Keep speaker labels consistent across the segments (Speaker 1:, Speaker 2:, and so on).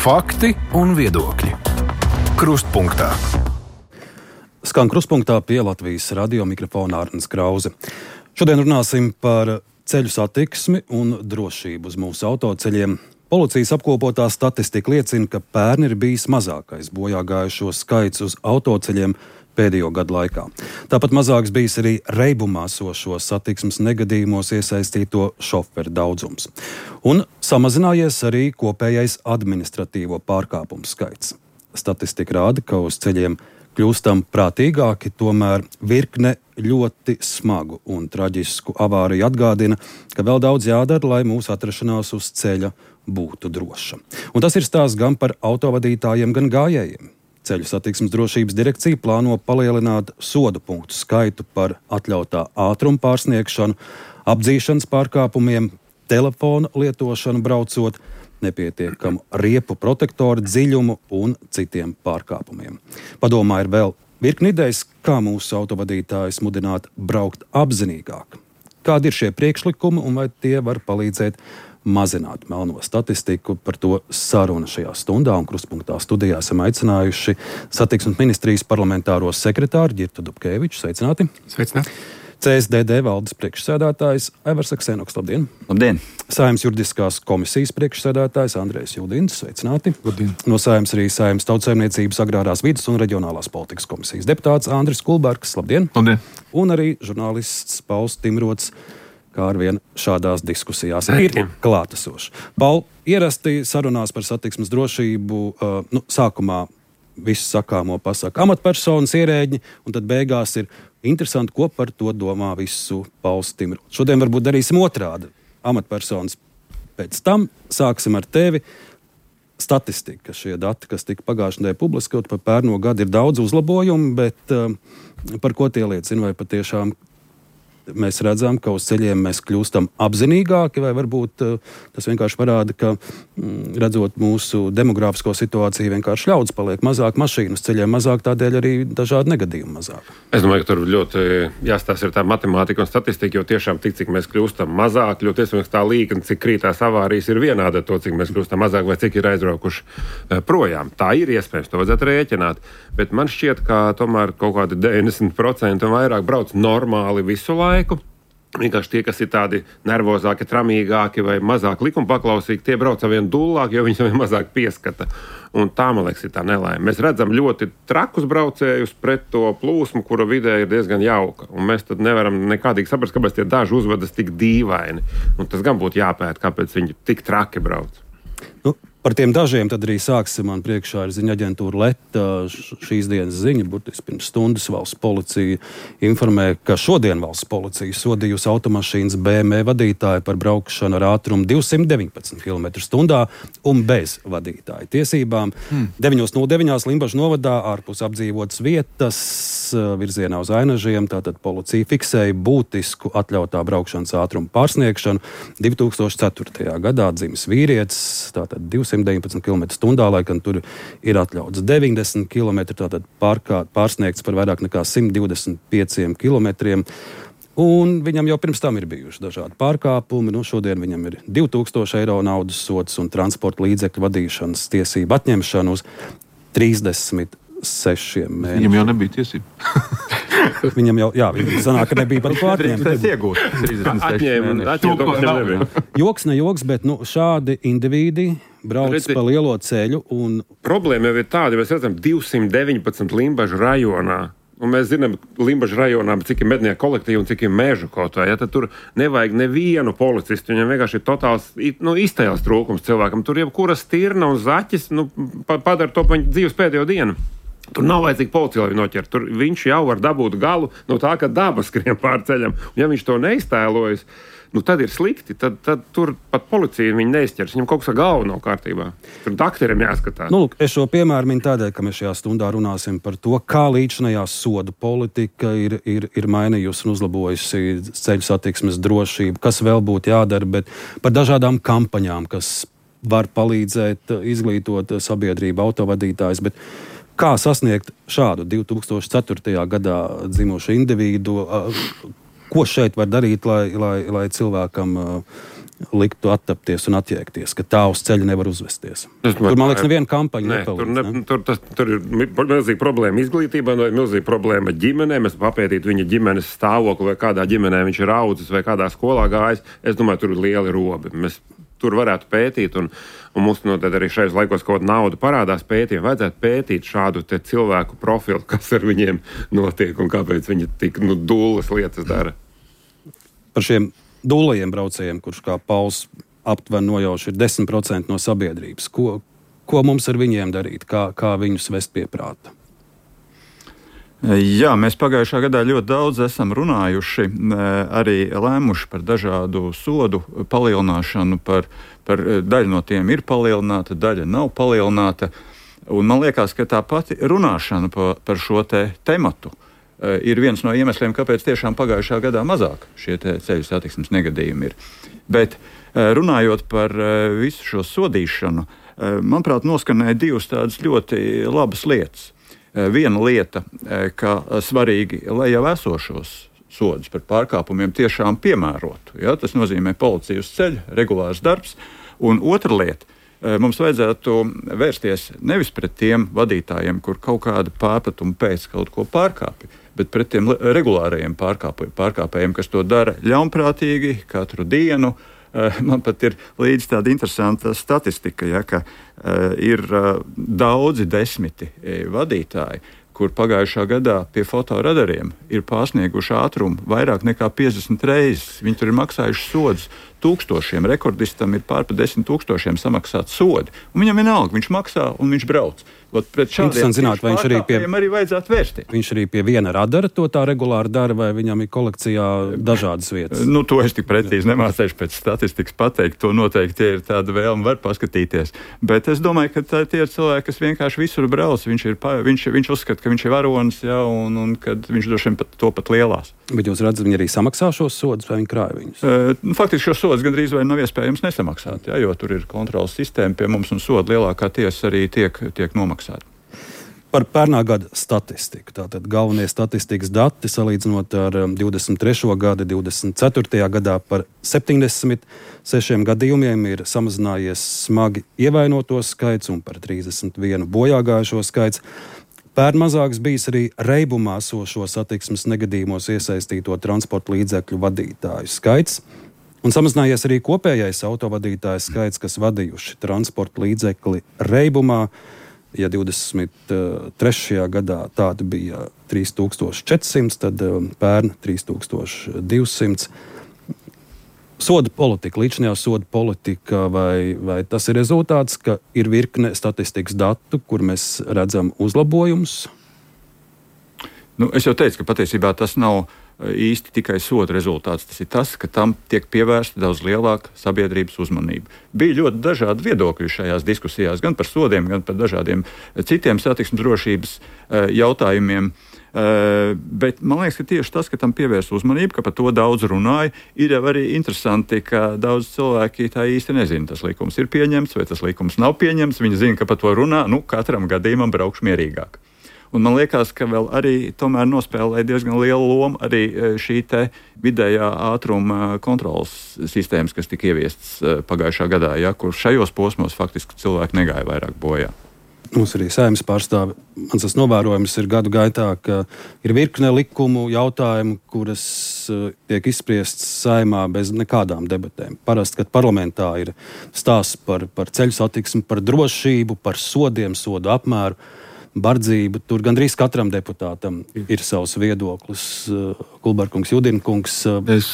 Speaker 1: Fakti un viedokļi. Krustpunktā.
Speaker 2: Skan Krustpunktā pie Latvijas radio mikrofona Arnis Krause. Šodien runāsim par ceļu satiksmi un drošību uz mūsu autoceļiem. Policijas apkopotā statistika liecina, ka pērn ir bijis mazākais bojāgājušo skaits uz autoceļiem pēdējo gadu laikā. Tāpat mazāks bijis arī reibumā sošo satiksmes negadījumos iesaistīto šoferu daudzums. Un samazinājies arī kopējais administratīvo pārkāpumu skaits. Statistika rāda, ka uz ceļiem kļūstam prātīgāki, tomēr virkne ļoti smagu un traģisku avāriju atgādina, ka vēl daudz jādara, lai mūsu atrašanās uz ceļa būtu droša. Un tas ir stāsts gan par autovadītājiem, gan gājējiem. Ceļu satiksmes drošības direkcija plāno palielināt sodu punktu skaitu par atļautā ātruma pārsniegšanu, apdzīšanas pārkāpumiem, telefona lietošanu braucot, nepietiekamu riepu protektoru dziļumu un citiem pārkāpumiem. Padomā ir vēl virkni idejas, kā mūsu autovadītājus mudināt braukt apzinīgāk. Kādi ir šie priekšlikumi un vai tie var palīdzēt mazināt melno statistiku? Par to saruna šajā stundā, un Krustpunktā studijā esam aicinājuši Satiksmes ministrijas parlamentāro sekretāru Ģirtu Dubkeviču. Sveicināti!
Speaker 3: Sveicināti!
Speaker 2: CSDD valdes priekšsēdētājs Aivars Aksenoks. Labdien!
Speaker 3: Labdien!
Speaker 2: Saeimas juridiskās komisijas priekšsēdētājs Andrejs Juldins. Sveicināti!
Speaker 3: Labdien!
Speaker 2: No Saeimas arī Saeimas Tautsaimniecības, agrārās vides un reģionālās politikas komisijas deputāts Andris Kulbergs. Labdien!
Speaker 3: Labdien!
Speaker 2: Un arī žurnālists Pauls Timrots, kā arvien šādās diskusijās ir klātesošs. Paul, ierasti sarunās par satiksmes drošību, sākumā visu sakāmo pasaka amatpersonas, ierēģi, un tad beigās ir interesanti, ko par to domā visu Pauls Timrots. Šodien varbūt darīsim otrādi. Amatpersonas pēc tam sāksim ar tevi. Statistika, šie dati, kas tika pagājušajā nedēļā publiskoti par pērno gadu, ir daudz uzlabojumu, bet par ko tie liecina? Vai patiešām mēs redzam, ka uz ceļiem mēs kļūstam apzinīgāki, vai varbūt tas vienkārši parāda, ka redzot mūsu demogrāfisko situāciju, vienkārši ļaudis paliek mazāk, mašīnu uz ceļiem mazāk, tādēļ arī dažādi negadījumi mazāk.
Speaker 3: Es domāju, ka tur ļoti jāstāsta ir tā matemātika un statistika, jo tiešām tik, cik mēs kļūstam mazāk, ļoti iespējams tā līkne, cik krītās avārijas ir vienāda to, cik mēs kļūstam mazāk vai cik ir aizbraukuši projām. Tā ir iespējams, to vajadzētu rēķināt, bet man šķiet, ka tomēr kaut kādi 90% un vairāk brauc normāli visu laiku. Vienkārši tie, kas ir tādi nervozāki, tramīgāki vai mazāk likumpaklausīgi, tie brauc ar vien dullāk, jo viņi saviem mazāk pieskata. Un tā, man liekas, ir tā nelaime. Mēs redzam ļoti trakus braucējus pret to plūsmu, kura vidē ir diezgan jauka. Un mēs tad nevaram nekādīgi saprast, kāpēc tie daži uzvedas tik dīvaini. Un tas gan būtu jāpēt, kāpēc viņi tik traki brauc.
Speaker 2: Par tiem dažiem tad arī sāksim. Man priekšā ir ziņa aģentūra Leta. Šīs dienas ziņa, burtiski pirms stundas, valsts policija informē, ka šodien valsts policija sodījusi automašīnas BMW vadītāju par braukšanu ar ātrumu 219 km/h un bez vadītāja tiesībām. 9:09 Limbažu novadā ārpus apdzīvotas vietas virzienā uz Ainažiem. Tātad policija fiksēja būtisku atļautā braukšanas ātrumu pārsniegšanu. 2004. gadā dzimis vīrietis, tātad 219 km/h, lai gan tur ir atļauts 90 km, tātad pārsniegts par vairāk nekā 125 km. Un viņam jau pirms tam ir bijuši dažādi pārkāpumi. Šodien viņam ir 2000 eiro naudas sods un transporta līdzekļu vadīšanas tiesību atņemšana uz 36 mēnešiem.
Speaker 4: Viņam jau nebija tiesība.
Speaker 2: Viņam jau, viņam sanāk, ka nebija pat ko atņemt. Joks, ne joks, bet šādi indivīdi brauc pa lielo ceļu. Un
Speaker 3: problēma jau ir tāda, mēs redzam 219 Limbažu rajonā. Un mēs zinām, Limbažu rajonā, cik ir mednieku kolektīvi un cik ir mežu kaut vai. Tad tur nevajag nevienu policistu. Viņam vienkārši ir totāls iztēles trūkums cilvēkam. Tur jebkura stirna un zaķis padara to pa viņa dzīves pēdējo dienu. Tur nav vajadzīga policija, lai viņu noķertu. Tur viņš jau var dabūt galu no tā, ka daba skrien pār ceļam. Un ja viņš to neiztēlojas, tad ir slikti. Tad tur pat policija viņu neizķers. Viņam kaut kas ar galvu nav kārtībā. Tur dakterim jāskatās.
Speaker 2: Es šo piemēru minu tādēļ, ka mēs šajā stundā runāsim par to, kā līdzinājā sodu politika ir mainījusi un uzlabojusi ceļu satiksmes drošību, kas vēl būtu jādara, bet par dažādām kampaņām, kas var palīdzēt izglītot sabiedrību, autovadītājus. Bet kā sasniegt šādu 2004. gadā dzimušu individu? Ko šeit var darīt, lai cilvēkam liktu attapties un attiekties, ka tā uz ceļa nevar uzvesties? Tur, man liekas, neviena kampaņa nepalīdz.
Speaker 3: Tur ir milzīga problēma izglītībā, ir milzīga problēma ģimenē. Mēs papētītu viņa ģimenes stāvokli, vai kādā ģimenē viņš ir audzis, vai kādā skolā gājis. Es domāju, tur ir lieli robi. Mēs tur varētu pētīt, un mums noteikti arī šajos laikos kaut kāda nauda parādās pētījumi. Vajadzētu pētīt šādu cilvēku profilu, kas ar viņiem notiek un kāpēc viņi tik dūlas lietas dara.
Speaker 2: Par šiem dūlajiem braucējiem, kurš kā Pauls aptuveni nojauš ir 10% no sabiedrības. Ko mums ar viņiem darīt? Kā viņus vest pie prāta?
Speaker 4: Jā, mēs pagājušā gadā ļoti daudz esam runājuši, arī lēmuši par dažādu sodu palielināšanu. Par daļu no tiem ir palielināta, daļa nav palielināta. Un man liekas, ka tā pati runāšana par šo tematu ir viens no iemesliem, kāpēc tiešām pagājušā gadā mazāk šie ceļu satiksmes negadījumi ir. Bet runājot par visu šo sodīšanu, manuprāt, noskanēja divas tādas ļoti labas lietas. Viena lieta, ka svarīgi, lai jau esošos sodus par pārkāpumiem tiešām piemērotu. Ja? Tas nozīmē policija uz ceļa, regulārs darbs. Un otra lieta, mums vajadzētu vērsties nevis pret tiem vadītājiem, kur kaut kāda pārpratuma pēc kaut ko pārkāpja, bet pret tiem regulārajiem pārkāpējiem, kas to dara ļaunprātīgi katru dienu. Man pat ir līdz tāda interesanta statistika, ja, ka ir daudzi desmiti vadītāji, kur pagājušā gadā pie fotoradariem ir pārsnieguši ātrumu vairāk nekā 50 reizes. Viņi tur ir maksājuši sodus tūkstošiem, rekordistam ir pār 10 000 samaksāt sodi. Un viņam vienalga, viņš maksā un viņš brauc. Pret šādiem pārkāpējiem arī vajadzētu vērsties.
Speaker 2: Viņš arī pie viena radara to tā regulāri dara, vai viņam ir kolekcijā dažādas vietas?
Speaker 4: To es tik precīzi nemācēšu pēc statistikas pateikt. To noteikti ir tāda vēlme, var paskatīties. Bet es domāju, ka tie ir cilvēki, kas vienkārši visur brauc. Viņš uzskata, ka viņš ir varonis, ja, un kad viņš droši vien pat lielās.
Speaker 2: Bet jūs redzat, viņi arī samaksā šos sodus, vai viņi krāja viņus?
Speaker 4: Faktiski šos sodus gandrīz vai nav iespējams nesamaksāt, ja, jo tur ir kontrolas sistēma pie mums un soda lielākā tiesa arī tiek nomaksāta.
Speaker 2: Par pērnā gada statistiku. Tātad galvenie statistikas dati salīdzinot ar 23. gada, 24. gadā par 76 gadījumiem ir samazinājies smagi ievainoto skaits un par 31 bojāgājušo skaits. Pērn mazāks bijis arī reibumā esošo satiksmes negadījumos iesaistīto transporta līdzekļu vadītāju skaits. Un samazinājies arī kopējais autovadītāju skaits, kas vadījuši transporta līdzekli reibumā. Ja 23. gadā tāda bija 3400, tad pērn 3200. Soda politika, līdzinājā soda politika, vai tas ir rezultāts, ka ir virkne statistikas datu, kur mēs redzam uzlabojumus?
Speaker 4: Es jau teicu, ka patiesībā tas nav īsti tikai soda rezultāts. Tas ir tas, ka tam tiek pievērsta daudz lielāka sabiedrības uzmanība. Bija ļoti dažādi viedokļi šajās diskusijās, gan par sodiem, gan par dažādiem citiem satiksmes drošības jautājumiem. Bet man liekas, ka tieši tas, ka tam pievērst uzmanību, ka par to daudz runāja, ir jau arī interesanti, ka daudz cilvēki tā īsti nezina, tas likums ir pieņemts vai tas likums nav pieņemts. Viņi zina, ka par to runā, katram gadījumam braukšu mierīgāk. Un man liekas, ka vēl arī tomēr nospēlē diezgan lielu lomu arī šī vidējā ātruma kontrolas sistēmas, kas tika ieviestas pagājušā gadā, ja, kur šajos posmos faktiski cilvēki negāja vairāk bojā.
Speaker 2: Mums arī saimnes pārstāve. Mans tas novērojums ir gadu gaitā, ka ir virkne likumu jautājumu, kuras tiek izspriests saimā bez nekādām debatēm. Parasti, kad parlamentā ir stāsts par ceļu satiksmi, par drošību, par sodiem, sodu apmēru, bardzību. Tur gandrīz katram deputātam ir savs viedoklis. Kulberkungs, Judinkungs.
Speaker 5: Es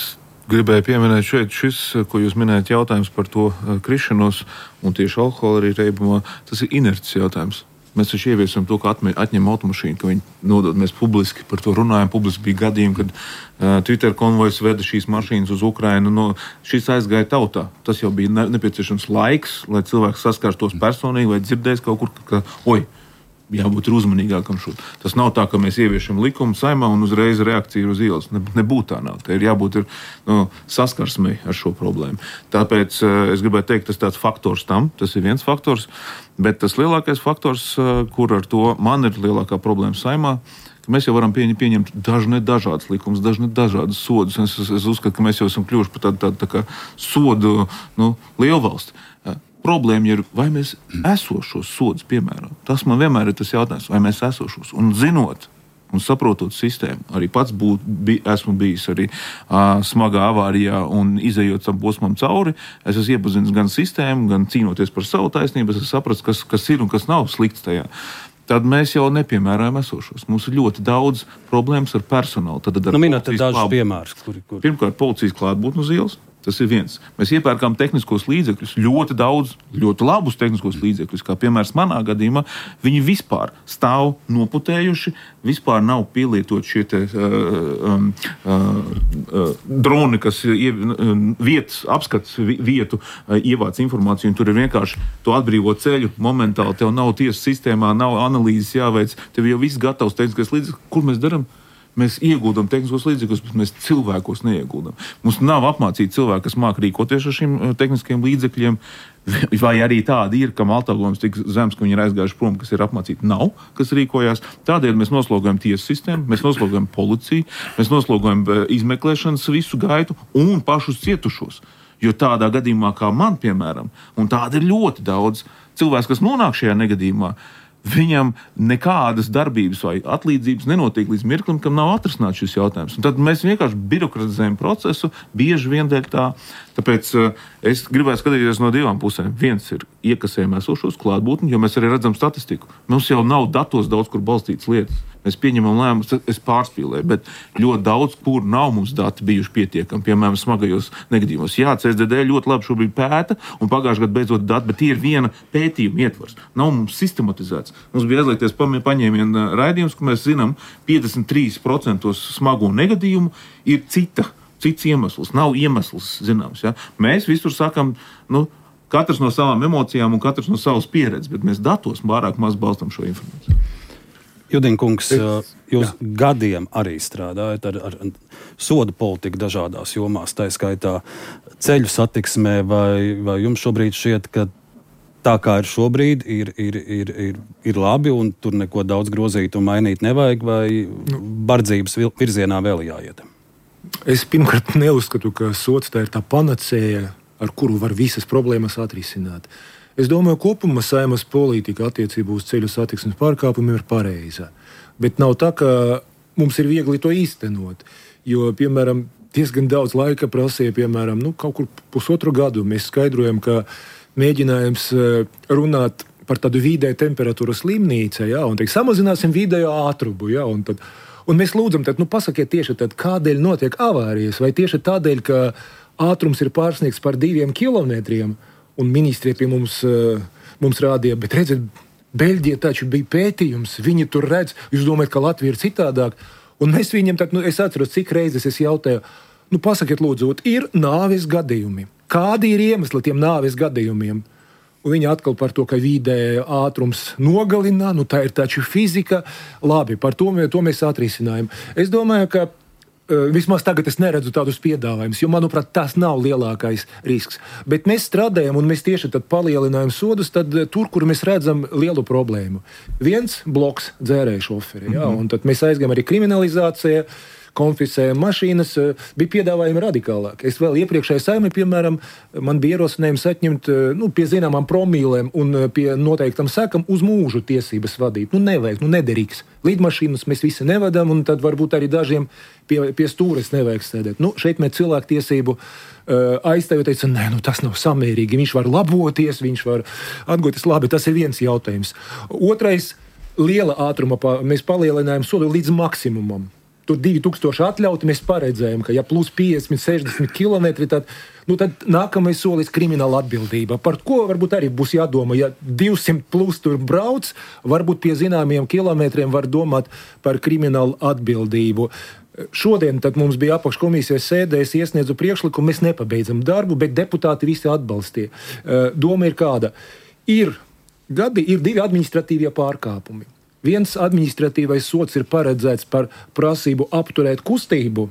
Speaker 5: gribēju pieminēt šis, ko jūs minējat, jautājums par to krišanos un tieši alkohola arī reibumā. Tas ir inerces jautājums. Mēs taču ieviesam to, ka atņem automašīnu, ka viņi nodod. Mēs publiski par to runājam. Publiski bija gadījumi, kad Twitter konvojs veda šīs mašīnas uz Ukrainu. Šis aizgāja tautā. Tas jau bija nepieciešams laiks, lai cilvēks saskārtos personīgi vai dzirdēs kaut kur, ka jābūt uzmanīgākam šur. Tas nav tā, ka mēs ieviešam likumu saimā un uzreiz reakcija uz ielas. Nebūtu tā nav. Te ir jābūt saskarsmei ar šo problēmu. Tāpēc es gribētu teikt, tas tāds faktors tam, tas ir viens faktors, bet tas lielākais faktors, kur ar to man ir lielākā problēma saimā, ka mēs jau varam pieņemt dažādas likumus, dažādas sodus. Es uzskatu, ka mēs jau esam kļuvuši par tādu tā kā sodu lielvalsti. Problēma ir, vai mēs esošos sodus piemēram. Tas man vienmēr ir tas jautājums, vai mēs esošos. Un zinot un saprotot sistēmu, arī pats esmu bijis arī smagā avārijā un izejot tam posmam cauri, es esmu iepazinis gan sistēmu, gan cīnoties par savu taisnību, es esmu sapratis, kas ir un kas nav slikts tajā. Tad mēs jau nepiemērojam esošos. Mums ir ļoti daudz problēmas ar personālu.
Speaker 2: Minēt dažus piemērus.
Speaker 5: Pirmkārt, policijas klātbūtne uz ielas. Tas ir viens. Mēs iepērkām tehniskos līdzekļus, ļoti daudz, ļoti labus tehniskos līdzekļus, kā piemērs manā gadījumā, viņi vispār stāv noputējuši, vispār nav pielietot šie droni, kas vietas apskats vietu ievāc informāciju, un tur ir vienkārši to atbrīvo ceļu momentāli, tev nav tiesas sistēmā, nav analīzes jāveic, tev jau viss gatavs tehniskais līdzekļus. Kur mēs darām? Mēs ieguldam tehniskos līdzekļus, bet mēs cilvēkos neieguldam. Mums nav apmācīti cilvēki, kas māk rīkoties ar šiem tehniskiem līdzekļiem, vai arī tādi ir, kam atalgojums tik zems, ka viņi ir aizgājuši prom, kas ir apmācīti, nav, kas rīkojās. Tādēļ mēs noslogojam tiesu sistēmu, mēs noslogojam policiju, mēs noslogojam izmeklēšanas visu gaitu un pašus cietušos. Jo tādā gadījumā, kā man, piemēram, un tāda ir ļoti daudz cilvēks, kas nonāk šajā negadījumā, viņam nekādas darbības vai atlīdzības nenotiek līdz mirklim, kam nav atrisināts šis jautājums. Un tad mēs vienkārši birokratizējam procesu, bieži vien dēļ tā. Tāpēc es gribētu skatīties no divām pusēm. Viens ir iekasējam esošos klātbūtni, jo mēs arī redzam statistiku. Mums jau nav datos daudz, kur balstītas lietas. Mēs pieņemam lēmumus, es pārspīlēju, bet ļoti daudz, kur nav mums dati bijuši pietiekami, piemēram, smagajos negadījumos. Jā, CSDD ļoti labi šobrīd pēta, un pagājušajā gadā beidzot dati, bet ir viena pētījuma ietvars. Nav mums sistematizēts. Mums bija aizliegties paņēmiena raidījums, ka mēs zinām, 53% smago negadījumu ir cits iemesls. Nav iemesls zināms. Ja? Mēs visur sakam, katrs no savām emocijām un katrs no savas pieredzes, bet mēs datos pārāk maz balstam šo informāciju.
Speaker 2: Judinkungs, jūs gadiem arī strādājat ar sodu politiku dažādās jomās, tā skaitā ceļu satiksmē, vai jums šobrīd šķiet, ka tā kā ir šobrīd, ir labi un tur neko daudz grozīt un mainīt nevajag, vai bardzības virzienā vēl jāiet?
Speaker 6: Es pirmkārt neuzskatu, ka sods tā ir tā panacēja, ar kuru var visas problēmas atrisināt. Es domāju, kopumā Saeimas politika attiecībā uz ceļu satiksmes pārkāpumiem ir pareiza. Bet nav tā, ka mums ir viegli to īstenot. Jo, piemēram, diezgan daudz laika prasīja, piemēram, kaut kur 1,5 gadu. Mēs skaidrojam, ka mēģinājums runāt par tādu vidēju temperatūras slimnīcu, un samazināsim vidējo ātrumu. Un mēs lūdzam, pasakiet tieši tad, kādēļ notiek avārijas, vai tieši tādēļ, ka ātrums ir pārsniegts par 2 kilometriem, un ministri pie mums rādīja, bet redziet, Beļģija taču bija pētījums, viņi tur redz, jūs domājat, ka Latvija ir citādāk, un mēs viņiem es atceros, cik reizes es jautāju, pasakiet lūdzu, ir nāves gadījumi. Kādi ir iemesli tiem nāves gadījumiem? Un viņi atkal par to, ka vidē ātrums nogalina, tā ir taču fizika. Labi, par to mēs atrisinājam. Es domāju, ka vismaz tagad es neredzu tādus piedāvājumus, jo, manuprāt, tas nav lielākais risks. Bet mēs strādājam un mēs tieši tad palielinājam sodus tur, kur mēs redzam lielu problēmu. Viens bloks dzērēju šoferi, un tad mēs aizgājam arī kriminalizācijā, konfiscējam mašīnas, bija piedāvājumi radikālāk. Es vēl iepriekšējā Saeimā, piemēram, man bija ierosinājums atņemt pie zināmām promīlēm un pie noteiktam sekam uz mūžu tiesības vadīt. Nevajag, nederīgs. Lidmašīnas mēs visi nevadām, un tad varbūt arī dažiem pie stūres nevajag sēdēt. Šeit mēs cilvēktiesību aizstāvjot, teica, nē, tas nav samērīgi. Viņš var laboties, viņš var atgūties. Labi, tas ir viens jautājums. Otrais, liela ātruma mēs palielinājām sodu līdz maksimumam. Tur 2000 atļauti mēs paredzējām, ka ja plus 50, 60 kilometri, tad nākamais solis krimināla atbildība. Par ko varbūt arī būs jādomā, ja 200 plus tur brauc, varbūt pie zināmiem kilometriem var domāt par kriminālu atbildību. Šodien tad mums bija apakškomisijas sēdē, es iesniedzu priekšlikumu, mēs nepabeidzam darbu, bet deputāti visi atbalstīja. Doma ir kāda? Ir 2 administratīvie pārkāpumi. Viens administratīvais sods ir paredzēts par prasību apturēt kustību,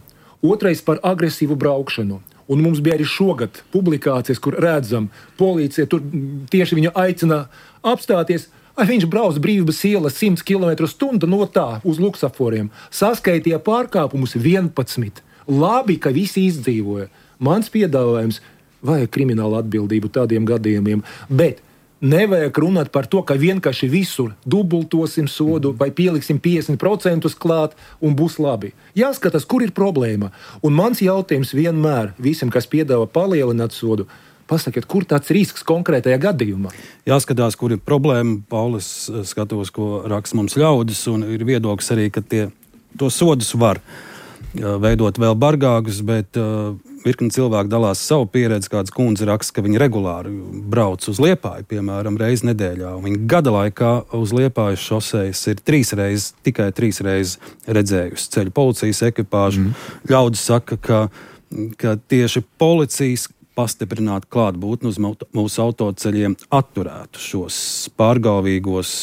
Speaker 6: otrais par agresīvu braukšanu. Un mums bija arī šogad publikācijas, kur redzam, policija tur tieši viņu aicina apstāties. Vai viņš brauc Brīvības ielas 100 km/h no tā uz luksaforiem. Saskaitīja pārkāpumus 11. Labi, ka visi izdzīvoja. Mans piedāvājums vajag kriminālu atbildību tādiem gadījumiem, bet nevajag runāt par to, ka vienkārši visur dubultosim sodu vai pieliksim 50% klāt un būs labi. Jāskatās, kur ir problēma. Un mans jautājums vienmēr visiem, kas piedāvā palielināt sodu, pasakiet, kur tāds risks konkrētajā gadījumā?
Speaker 2: Jāskatās, kur ir problēma. Paulis, skatos, ko raksta mums ļaudis, un ir viedoklis arī, ka to sodus var veidot vēl bargākus, bet virkni cilvēki dalās savu pieredzi. Kāds kundze raksta, ka viņi regulāri brauc uz Liepāju, piemēram, reizi nedēļā. Viņa gada laikā uz Liepājas šosejas ir tikai 3 reizes redzējusi ceļu policijas ekipāžu. Ļaudis saka, ka tieši policijas pastiprināt klātbūtni uz mūsu autoceļiem atturētu šos pārgalvīgos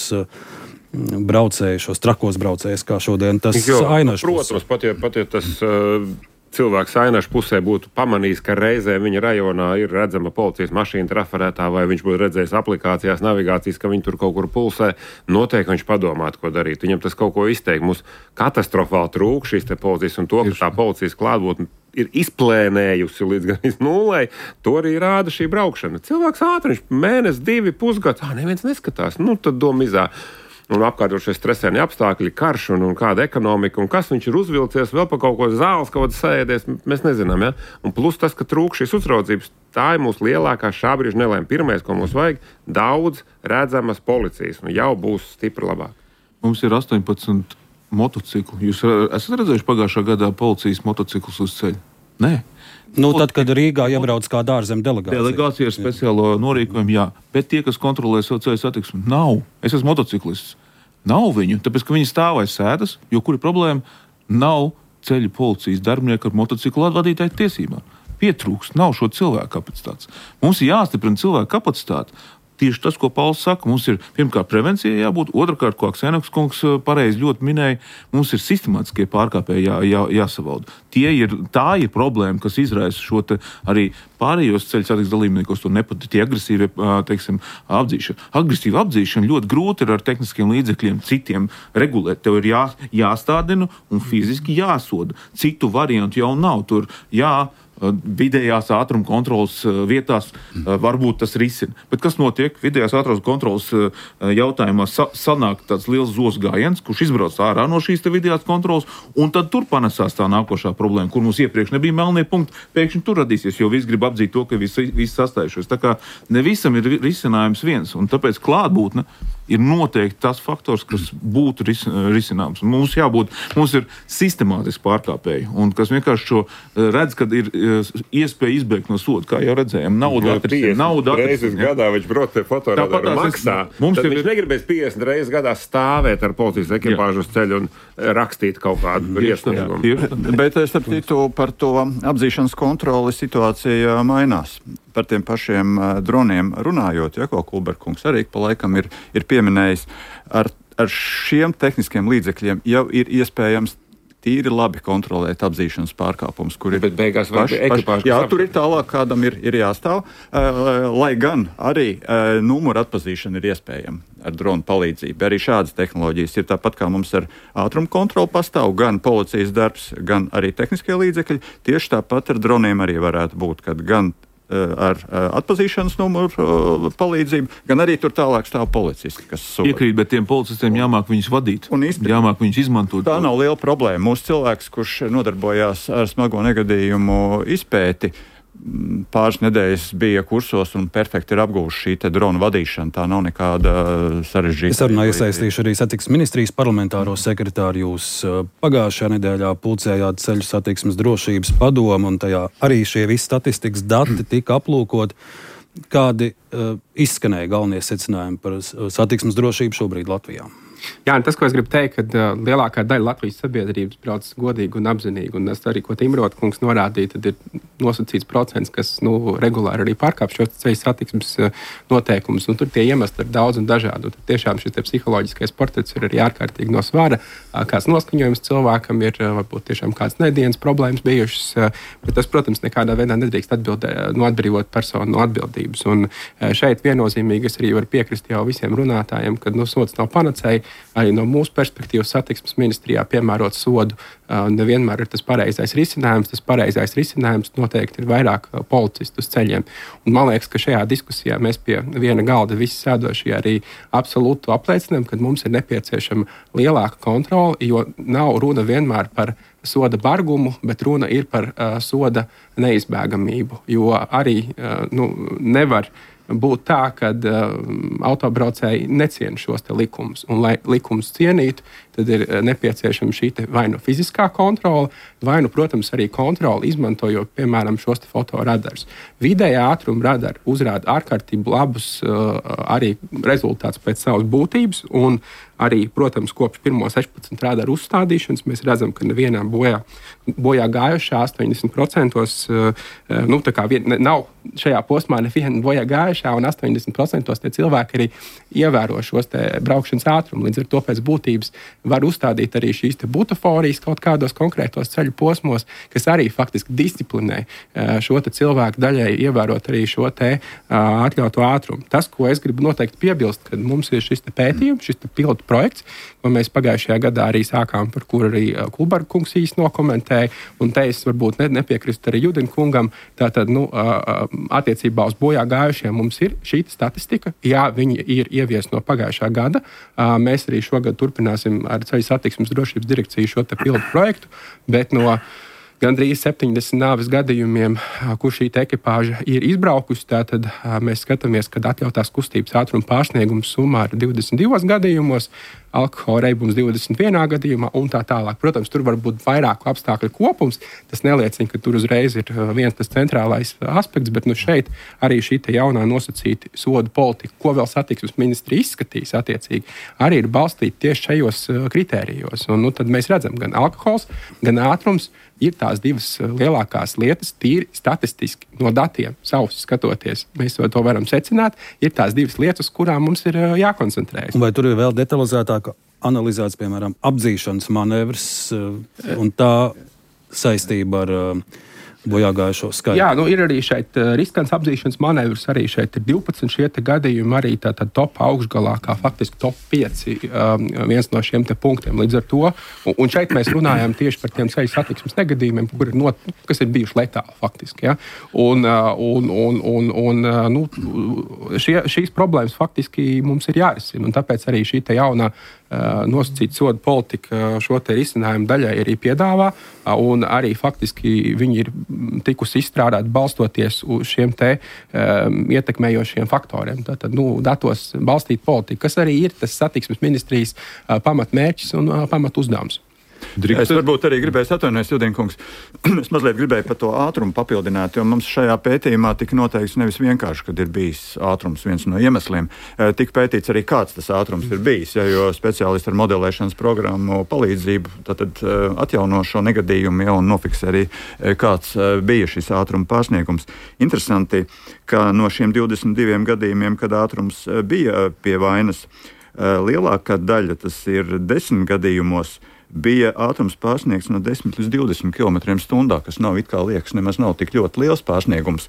Speaker 2: braucējus, šos trakos braucējus, kā šodien tas Ainašs.
Speaker 3: Protams, pat ja tas cilvēks Ainašs pusē būtu pamanījis, ka reizē viņa rajonā ir redzama policijas mašīna trafarētā, vai viņš būtu redzējis aplikācijās, navigācijas, ka viņi tur kaut kur pulsē, noteikti viņš padomātu, ko darīt. Viņam tas kaut ko izteikt. Mums katastrofāli trūk šīs te policijas, un to, ka tā policijas klātbūtne ir izplēnējusi līdz gan nulai, to arī rāda šī braukšana. Cilvēks ātri, viņš mēnesi, 2 pusgads, neviens neskatās, tad domizā. Un apkārtošie stresēni apstākļi, karš un kāda ekonomika, un kas viņš ir uzvilcies, vēl pa kaut ko zāles, kaut kāds sēdies, mēs nezinām, ja? Un plus tas, ka trūk šīs uzraudzības, tā ir mūsu lielākā šā brīža nelēma. Pirmais, ko mums vajag, daudz redzamas policijas, un jau būs stipri labāk.
Speaker 5: Mums ir 18 motociklu. Jūs esat redzējuši pagājušā gadā policijas motociklus uz ceļa? Nē.
Speaker 2: Tad, kad Rīgā iebrauc kāda ārzemju delegācija.
Speaker 5: Delegācija ar speciālo norīkojumu, jā. Bet tie, kas kontrolē savu ceļu satiksmi, nav. Es esmu motociklists. Nav viņu, tāpēc, ka viņi stāv aiz sēdas, jo kur ir problēma? Nav ceļu policijas darbinieku ar motociklu vadītāju tiesībām. Pietrūkst, nav šo cilvēku kapacitātes. Mums ir jāstiprina cilvēku kapacitāte. Tieši tas, ko Pauls saka, mums ir pirmkārt prevencija jābūt, otrkārt, ko Aksēnoks kungs pareizi ļoti minēja, mums ir sistemātiskie pārkāpēji jāsavalda. Tā ir problēma, kas izraisa šo te arī pārējos ceļu satiksmes dalībniekos, to nepatīk agresīvi, apdzīšana. Agresīva apdzīšana ļoti grūti ir ar tehniskiem līdzekļiem citiem regulēt. Tev ir jāstādina un fiziski jāsoda. Citu variantu jau nav. Tur vidējās ātruma kontrolas vietās varbūt tas risina. Bet kas notiek? Vidējās ātruma kontrolas jautājumā sanāk tāds liels zos gājiens, kurš izbrauc ārā no šīs te vidējās kontrolas, un tad tur panesās tā nākošā problēma, kur mums iepriekš nebija melnie punkti, pēkšņi tur radīsies, jo viss grib apdzīt to, ka visi sastājušies. Tā kā ne visam ir risinājums viens, un tāpēc klātbūtne ir noteikti tas faktors, kas būtu risināms. Mums ir sistemātiski pārkāpēji, un kas vienkārši šo redz, kad ir iespēja izbēgt no soda, kā jau redzējām. Nauda
Speaker 3: reizes gadā viņš brauc pie fotoradaru maksā. Viņš negribēs 50 reizes gadā stāvēt ar policijas ekipāžu uz ceļu un rakstīt kaut kādu briesmīgumu.
Speaker 4: Bet starp citu par to apdzīšanas kontroli situācija mainās. Par tiem pašiem droniem runājot, ko Kulberkungs arī pa laikam ir pieminējis, ar šiem tehniskiem līdzekļiem jau ir iespējams tīri labi kontrolēt apdzīšanas pārkāpumus, kur ir.
Speaker 3: Bet beigās ekipāžu.
Speaker 4: Jā, tur ir tālāk, kādam ir jāstāv, lai gan arī numuru atpazīšana ir iespējama ar dronu palīdzību. Arī šādas tehnoloģijas ir tāpat, kā mums ar ātrumu kontroli pastāv, gan policijas darbs, gan arī tehniskie līdzekļi. Tieši tāpat ar droniem arī varētu būt, kad gan ar atpazīšanas numuru palīdzību, gan arī tur tālāk stāv policisti, kas soda.
Speaker 5: Piekrīt, bet tiem policistiem jāmāk viņus vadīt, jāmāk viņus izmantot.
Speaker 4: Tā nav liela problēma. Mūsu cilvēks, kurš nodarbojās ar smago negadījumu izpēti, pāris nedēļas bija kursos un perfekti ir apguvuši šī te drona vadīšana. Tā nav nekāda sarežģīta.
Speaker 2: Es arī iesaistīšu arī satiksmes ministrijas parlamentāro sekretāru. Jūs pagājušajā nedēļā pulcējāt ceļu satiksmes drošības padomu, un tajā arī šie visi statistikas dati tika aplūkot. Kādi izskanēja galvenie secinājumi par satiksmes drošību šobrīd Latvijā?
Speaker 7: Jā, un tas, ko es gribu teikt, ka lielākā daļa Latvijas sabiedrības brauc godīgi un apzinīgi, un tas arī, ko Imrota kungs norādīja, tad ir nosacīts procents, kas regulāri arī pārkāp šos ceļu satiksmes noteikumus, un tur tie iemesli ir daudz un dažādi. Un tad tiešām šis psiholoģiskais portrets ir arī ārkārtīgi no svara, kāds noskaņojums cilvēkam ir, varbūt tiešām kāds nedienas problēmas bijušas, bet tas, protams, nekādā veidā nedrīkst atbrīvot personu no atbildības. Un šeit viennozīmīgi es arī varu piekrist jau visiem runātājiem, ka sods nav panacēja. Arī no mūsu perspektīvas satiksmes ministrijā piemērot sodu nevienmēr ir tas pareizais risinājums. Tas pareizais risinājums noteikti ir vairāk policistu uz ceļiem. Un man liekas, ka šajā diskusijā mēs pie viena galda visi sēdošie arī absolūti apliecinām, ka mums ir nepieciešama lielāka kontrole, jo nav runa vienmēr par soda bargumu, bet runa ir par soda neizbēgamību. Jo arī nevar būt tā, ka autobraucēji neciena šos likumus. Un, lai likumus cienītu, tad ir nepieciešama šī vai nu fiziskā kontrole, vai nu, protams, arī kontrole, izmantojot, piemēram, šos fotoradarus. Vidējā ātruma radari uzrāda ārkārtīgi labus arī rezultātus pēc savas būtības, un arī, protams, kopš 16 radaru uzstādīšanas mēs redzam, ka nevienā bojā gājušā 80% nav šajā posmā neviena bojā gājušā, un 80% tie cilvēki arī ievēro šos braukšanas ātrumu. Līdz ar to pēc būtības var uzstādīt arī šīs butaforijas kaut kādos konkrētos ceļu posmos, kas arī faktiski disciplinē šo cilvēku daļai ievērot arī šo atļautu ātrumu. Tas, ko es gribu noteikti piebilst, kad mums ir šis pētījums, šis pilotu projekts, ko mēs pagājušajā gadā arī sākām, par kuru arī Kulberga kungs īsti nokomentēja, un te es varbūt nepiekrist arī Judina kungam, tātad, attiecībā uz bojā gājušiem mums ir šī statistika, jā, viņi ir ieviesti no pagājušā gada, mēs arī šogad turpināsim ar Ceļu satiksmes drošības direkciju šo pilotu projektu, bet no gandrīz 70 nāves gadījumiem, kur šī ekipāža ir izbraukusi, tad mēs skatāmies, kad atļautās kustības ātruma pārsniegums summā ir 22 gadījumos, alkohola reibums 21 gadījumā un tā tālāk. Protams, tur var būt vairāku apstākļu kopums. Tas neliecina, ka tur uzreiz ir viens tas centrālais aspekts, bet šeit arī šī jaunā nosacīta sodu politika, ko vēl satiksmes ministri izskatīs attiecīgi, arī ir balstīta tieši šajos kritērijos. Un tad mēs redzam, gan alkohols, gan ātrums ir tās divas lielākās lietas, tīri statistiski no datiem savus skatoties. Mēs to varam secināt. Ir tās divas lietas, uz kurām mums ir jākoncentrējas.
Speaker 2: Vai tur ir vēl detalizētāk analizēts, piemēram, apdzīšanas manevrs un tā saistība ar bojāgājušo skaitu?
Speaker 7: Jā, ir arī šeit riskants apdzīšanas manevrs, arī šeit ir 12 šie gadījumi, arī tātad top augšgalā, kā faktiski top 5 viens no šiem punktiem. Līdz ar to, un šeit mēs runājam tieši par tiem ceļu satiksmes negadījumiem, kas ir bijuši letāli faktiski. Ja? Šīs problēmas faktiski mums ir jārisina, un tāpēc arī šī jaunā nosacīta soda politika šo risinājumu daļai arī piedāvā, un arī faktiski viņi ir tikusi izstrādāti balstoties uz šiem ietekmējošiem faktoriem. Tātad, datos balstīt politiku, kas arī ir tas satiksmes ministrijas pamatmērķis un pamatuzdevums.
Speaker 4: Es varbūt arī gribēju atvainoties, Judina kungs. Es mazliet gribēju par to ātrumu papildināt, jo mums šajā pētījumā tika noteikts nevis vienkārši, kad ir bijis ātrums viens no iemesliem. Tika pētīts arī, kāds tas ātrums ir bijis, jo speciālisti ar modelēšanas programmu palīdzību tātad atjauno šo negadījumu un nofiksē arī, kāds bija šis ātruma pārsniegums. Interesanti, ka no šiem 22 gadījumiem, kad ātrums bija pie vainas, lielākā daļa, tas ir 10 gadījumos, bija ātrums pārsniegts no 10 līdz 20 km/h, kas nav it kā liekas, nemaz nav tik ļoti liels pārsniegums.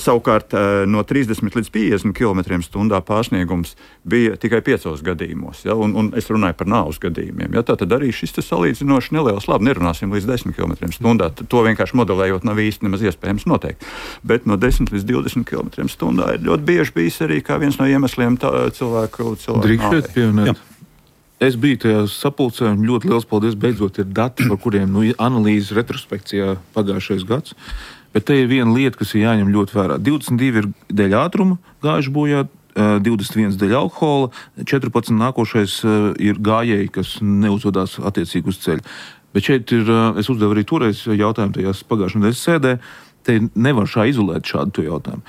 Speaker 4: Savukārt no 30 līdz 50 km/h pārsniegums bija tikai 5 gadījumos. Ja? Un es runāju par nāves gadījumiem. Ja? Tātad arī šis salīdzinoši neliels, labi, nerunāsim līdz 10 km/h. To vienkārši modelējot nav īsti nemaz iespējams noteikt. Bet no 10 līdz 20 km/h ir ļoti bieži bijis arī kā viens no iemesliem cilvēku
Speaker 5: Drīkst pieminēt. Es biju tajā sapulcē, un ļoti liels paldies. Beidzot ir dati, par kuriem analīzes retrospekcijā pagājušais gads. Bet te ir viena lieta, kas ir jāņem ļoti vērā. 22 ir dēļ ātruma gājuši bojā, 21 dēļ alkohola, 14 nākošais ir gājēji, kas neuzvedās attiecīgi uz ceļa. Bet šeit ir, es uzdevu arī toreiz jautājumu tajās pagājušajā nedēļas sēdē, te nevar izolēt šādu jautājumu.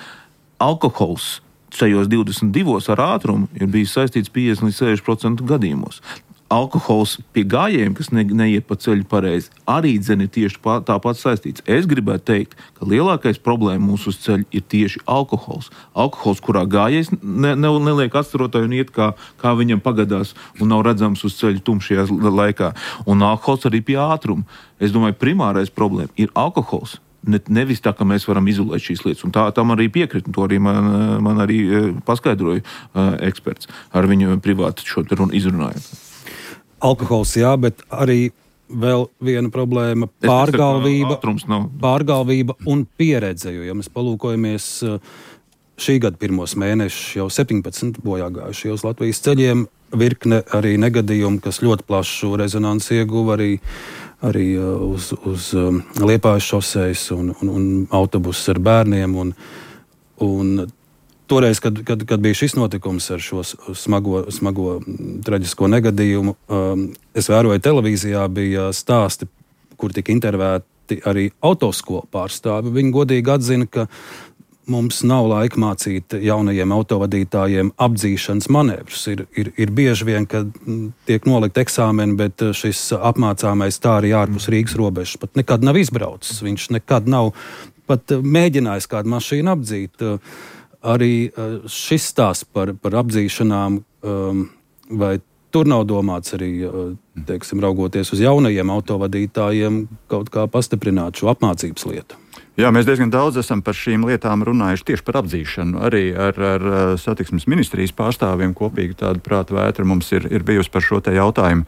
Speaker 5: Alkohols šajos 22 ar ātrumu ir bijis saistīts 50 līdz 60% gadījumos. Alkohols pie gājējiem, kas neiet pa ceļu pareizi, arī ir tieši tāpat saistīts. Es gribētu teikt, ka lielākais problēma mūsu uz ceļa ir tieši alkohols. Alkohols, kurā gājējs neliek atstarotāju un iet, kā viņam pagadās un nav redzams uz ceļa tumšajā laikā. Un alkohols arī pie ātruma. Es domāju, primārais problēma ir alkohols. Nevis tā, ka mēs varam izolēt šīs lietas. Un tam arī piekrīt. To arī man arī paskaidroja eksperts ar viņu privāti šo te runu izrunājot.
Speaker 2: Alkohols, jā, bet arī vēl viena problēma - pārgalvība un pieredze. Jo, ja mēs palūkojamies šī gada pirmos mēnešus, jau 17 bojāgājuši uz Latvijas ceļiem, virkne arī negadījumu, kas ļoti plašu rezonanci ieguva arī uz Liepājas šosejas un autobusus ar bērniem. Un toreiz, kad bija šis notikums ar šo smago traģisko negadījumu, es vēroju televīzijā, bija stāsti, kur tika intervēti arī autoskolu pārstāvi. Viņi godīgi atzina, ka mums nav laika mācīt jaunajiem autovadītājiem apdzīšanas manevrus. Ir bieži vien, kad tiek nolikt eksāmeni, bet šis apmācāmais tā arī ārpus Rīgas robežas pat nekad nav izbraucis. Viņš nekad nav pat mēģinājis kādu mašīnu apdzīt. Arī šis stāsts par apdzīšanām, vai tur nav domāts arī, teiksim, raugoties uz jaunajiem autovadītājiem, kaut kā pastiprināt šo apmācības lietu?
Speaker 4: Jā, mēs diezgan daudz esam par šīm lietām runājuši tieši par apdzīšanu. Arī ar satiksmes ministrijas pārstāvjiem kopīgi tāda prāta vētra mums ir bijusi par šo te jautājumu.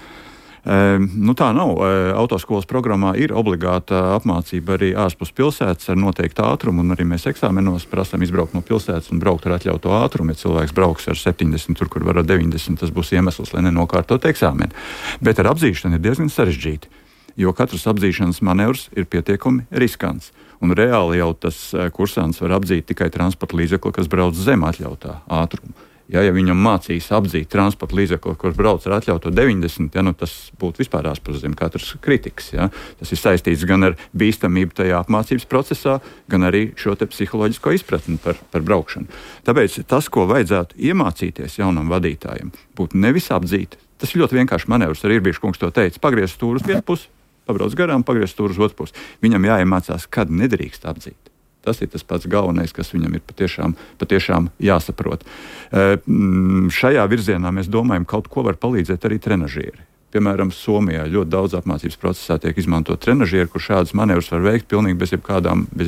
Speaker 4: Tā nav. Autoskolas programmā ir obligāta apmācība arī ārpus pilsētas ar noteiktu ātrumu, un arī mēs eksāmenos prasām izbraukt no pilsētas un braukt ar atļautu ātrumu. Ja cilvēks brauks ar 70, tur, kur var ar 90, tas būs iemesls, lai nenokārtot eksāmeni. Bet ar apdzīšanu ir diezgan sarežģīti, jo katrs apdzīšanas manevrs ir pietiekami riskants. Un reāli jau tas kursants var apdzīt tikai transporta līdzekli, kas brauc zem atļautā ātruma. Ja viņam mācīs apdzīt transporta līdzekli, kurš brauc ar atļautu 90, tas būtu vispār ārpus zem katras kritikas. Ja. Tas ir saistīts gan ar bīstamību tajā apmācības procesā, gan arī šo te psiholoģisko izpratni par braukšanu. Tāpēc tas, ko vajadzētu iemācīties jaunam vadītājam, būtu nevis apdzīt. Tas ir ļoti vienkārši manevrs, arī Irbīša kungs to teica. Pagriez stūru uz vienu pusi, pabrauc garām, pagriez stūru uz otru pusi. Viņam jāiemācās, kad nedrīkst apdzīt. Tas ir tas pats galvenais, kas viņam ir patiešām jāsaprot. Šajā virzienā mēs domājam, kaut ko var palīdzēt arī trenažieri. Piemēram, Somijā ļoti daudz apmācības procesā tiek izmantot trenažieri, kur šādas manevrus var veikt pilnīgi bez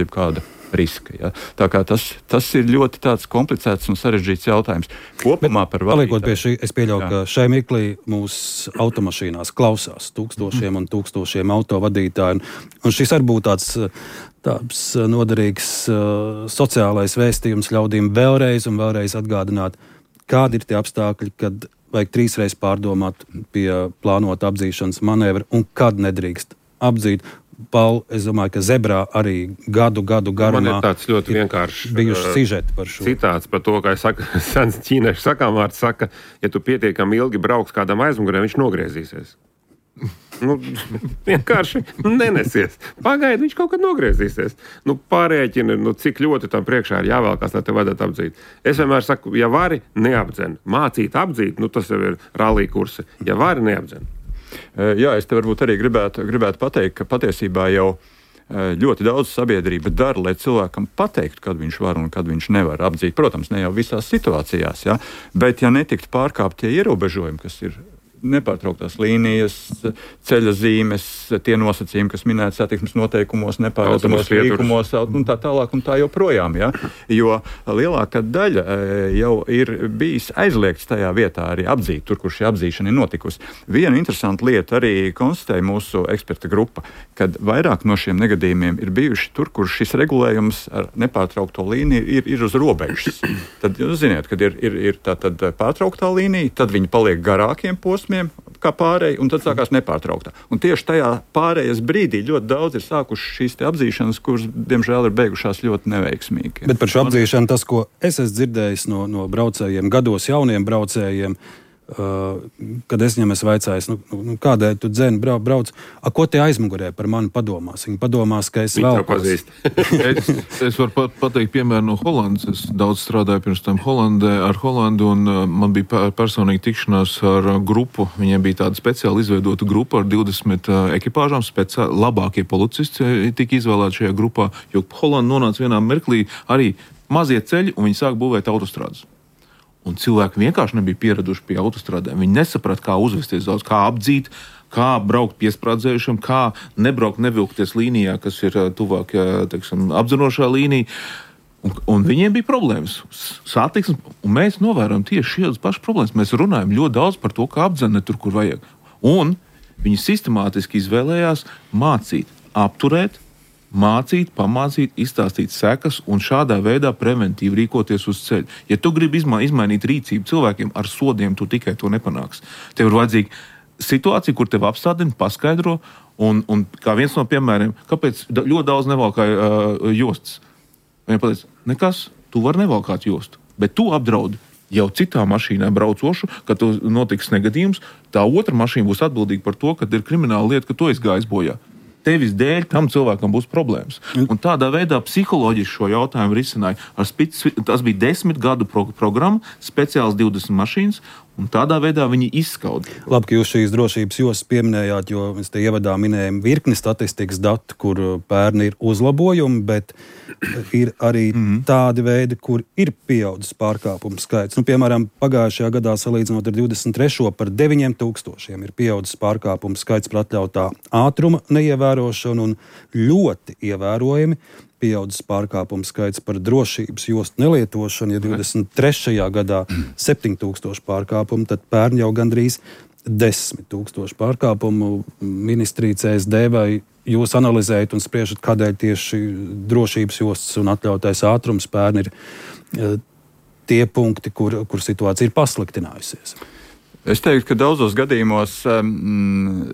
Speaker 4: jebkāda riska. Ja? Tā kā tas ir ļoti tāds komplicēts un sarežģīts jautājums. Kopumā par vadītāju. Paliekot
Speaker 2: pie šī, es pieļauju, ka šai mirklī mūsu automašīnās klausās tūkstošiem un tūkstošiem autovadītāju. Un šis arī būtu tāds noderīgs sociālais vēstījums ļaudīm vēlreiz un vēlreiz atgādināt, kādi ir tie apstākļi, kad vajag 3 reizes pārdomāt pie plānota apdzīšanas manevra un kad nedrīkst apdzīt. Paul, es domāju, ka Zebrā arī gadu garumā
Speaker 3: man ir tāds ļoti vienkāršs
Speaker 2: bijuši sižeti par šo.
Speaker 3: Citāts par to, kā sens ķīniešu sakāmvārds saka, ja tu pietiekami ilgi brauks kādam aizmugurē, viņš nogriezīsies. Vienkārši nenesies. Pagaidi, viņš kaut kad nogriezīsies. Pārēķini, cik ļoti tam priekšā ir jāvēlkās, lai te vajadzētu apdzīt. Es vienmēr saku, ja vari, neapdzen. Mācīt apdzīt, tas jau ir rallija kursi. Ja vari, neapdzen.
Speaker 4: Jā, es te varbūt arī gribētu pateikt, ka patiesībā jau ļoti daudz sabiedrība dara, lai cilvēkam pateiktu, kad viņš var un kad viņš nevar apdzīt. Protams, ne jau visās situācijās, ja? Bet ja netikt pārkāpt tie ierobežojumi, kas ir nepārtrauktās līnijas, ceļa zīmes, tie nosacījumi, kas minēti satiksmes noteikumos, nepārredzamos līkumos un tā tālāk un tā joprojām. Ja? Jo lielākā daļa jau ir bijis aizliegts tajā vietā arī apdzīt, tur, kur šī apdzīšana ir notikusi. Viena interesanta lieta arī konstatēja mūsu eksperta grupa, kad vairāk no šiem negadījumiem ir bijuši tur, kur šis regulējums ar nepārtraukto līniju ir uz robežas. Tad jūs ziniet, kad ir tā tad pārtrauktā līnija, tad viņi paliek garākiem posmiem, kā pārēji, un tad sākās nepārtrauktā. Un tieši tajā pārējas brīdī ļoti daudz ir sākuši šīs te apdzīšanas, kuras, diemžēl, ir beigušās ļoti neveiksmīgi.
Speaker 2: Bet par šo apdzīšanu tas, ko es esmu dzirdējis no braucējiem, gados jauniem braucējiem, kad es viņam esmu vaicājis, kādēļ tu dzeni brauc, ko tie aizmugurē par mani padomās? Viņi padomās, ka es vēl
Speaker 3: pazīst.
Speaker 5: Es varu pateikt piemēru no Holandas. Es daudz strādāju pirms tam ar Holandu, un man bija personīgi tikšanās ar grupu. Viņiem bija tāda speciāli izveidota grupa ar 20 ekipāžām. Labākie policisti tika izvēlēti šajā grupā, jo Holanda nonāca vienā mirklī arī mazie ceļi, un viņi sāk būvēt autostrādes. Un cilvēki vienkārši nebija pieraduši pie autostrādēm. Viņi nesaprata, kā uzvesties daudz, kā apdzīt, kā braukt piesprādzējušiem, kā nebraukt, nevilkties līnijā, kas ir tuvāk, teiksim, apdzerošā līnija. Un viņiem bija problēmas. Satiksmes, un mēs novērojam tieši šādas pašas problēmas. Mēs runājam ļoti daudz par to, kā apdzene tur, kur vajag. Un viņi sistemātiski izvēlējās mācīt, apturēt, mācīt, pamācīt, izstāstīt sekas un šādā veidā preventīvi rīkoties uz ceļa. Ja tu gribi izmainīt rīcību cilvēkiem ar sodiem, tu tikai to nepanāksi. Tev ir vajadzīga situācija, kur tev apstādina, paskaidro, un kā viens no piemēriem, kāpēc ļoti daudz nevalkāja jostas. Viņa pateica, nekas, tu vari nevalkāt jostu, bet tu apdraudi jau citā mašīnā braucošu, kad notiks negadījums, tā otra mašīna būs atbildīga par to, kad ir krimināla lieta, ka tu esi gājis bojā. Tevis dēļ tam cilvēkam būs problēmas. Un tādā veidā psiholoģiski šo jautājumu risināja. Tas bija 10 gadu programma, speciāls 20 mašīnas, un tādā veidā viņi izskauda.
Speaker 2: Labi, ka jūs šīs drošības jostas pieminējāt, jo mēs te ievadā minējam virkni statistikas datu, kur pērni ir uzlabojumi, bet ir arī tādi veidi, kur ir pieaudzis pārkāpumu skaits. Piemēram, pagājušajā gadā salīdzinot ar 23. par 9000 ir pieaudzis pārkāpumu skaits par atļautā ātruma neievērošanu un ļoti ievērojami pieaudzis pārkāpumu skaits par drošības jostu nelietošanu. Ja 23. gadā 7000 pārkāpumu, tad pērn jau gandrīz 10 000 pārkāpumu. Ministrija CSD vai jūs analizējat un spriežat, kādēļ tieši drošības jostas un atļautais ātrums pērn ir tie punkti, kur situācija ir pasliktinājusies?
Speaker 4: Es teiktu, ka daudzos gadījumos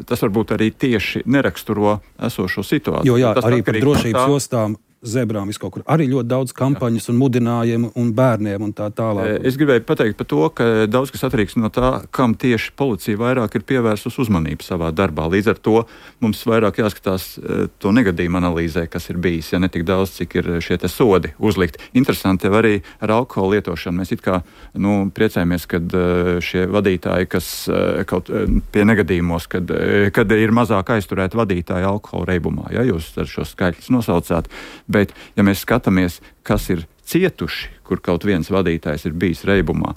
Speaker 4: tas varbūt arī tieši neraksturo esošo situāciju.
Speaker 2: Jo jā, arī par drošības jostām, zebrām viskaut kur. Arī ļoti daudz kampaņas un mudinājumu un bērniem un tā tālāk.
Speaker 4: Es gribēju pateikt par to, ka daudz kas atkarīgs no tā, kam tieši policija vairāk ir pievērsus uzmanību savā darbā. Līdz ar to mums vairāk jāskatās to negadījumu analīzē, kas ir bijis, ja ne tik daudz, cik ir šie te sodi uzlikt. Interesanti jau arī ar alkohola lietošanu. Mēs it kā priecājamies, kad šie vadītāji, kas kaut pie negadījumos, kad ir mazāk aizturēti vadītāji alkohola reibumā, ja jūs ar šo skaitļus nosaucāt. Bet, ja mēs skatāmies, kas ir cietuši, kur kaut viens vadītājs ir bijis reibumā,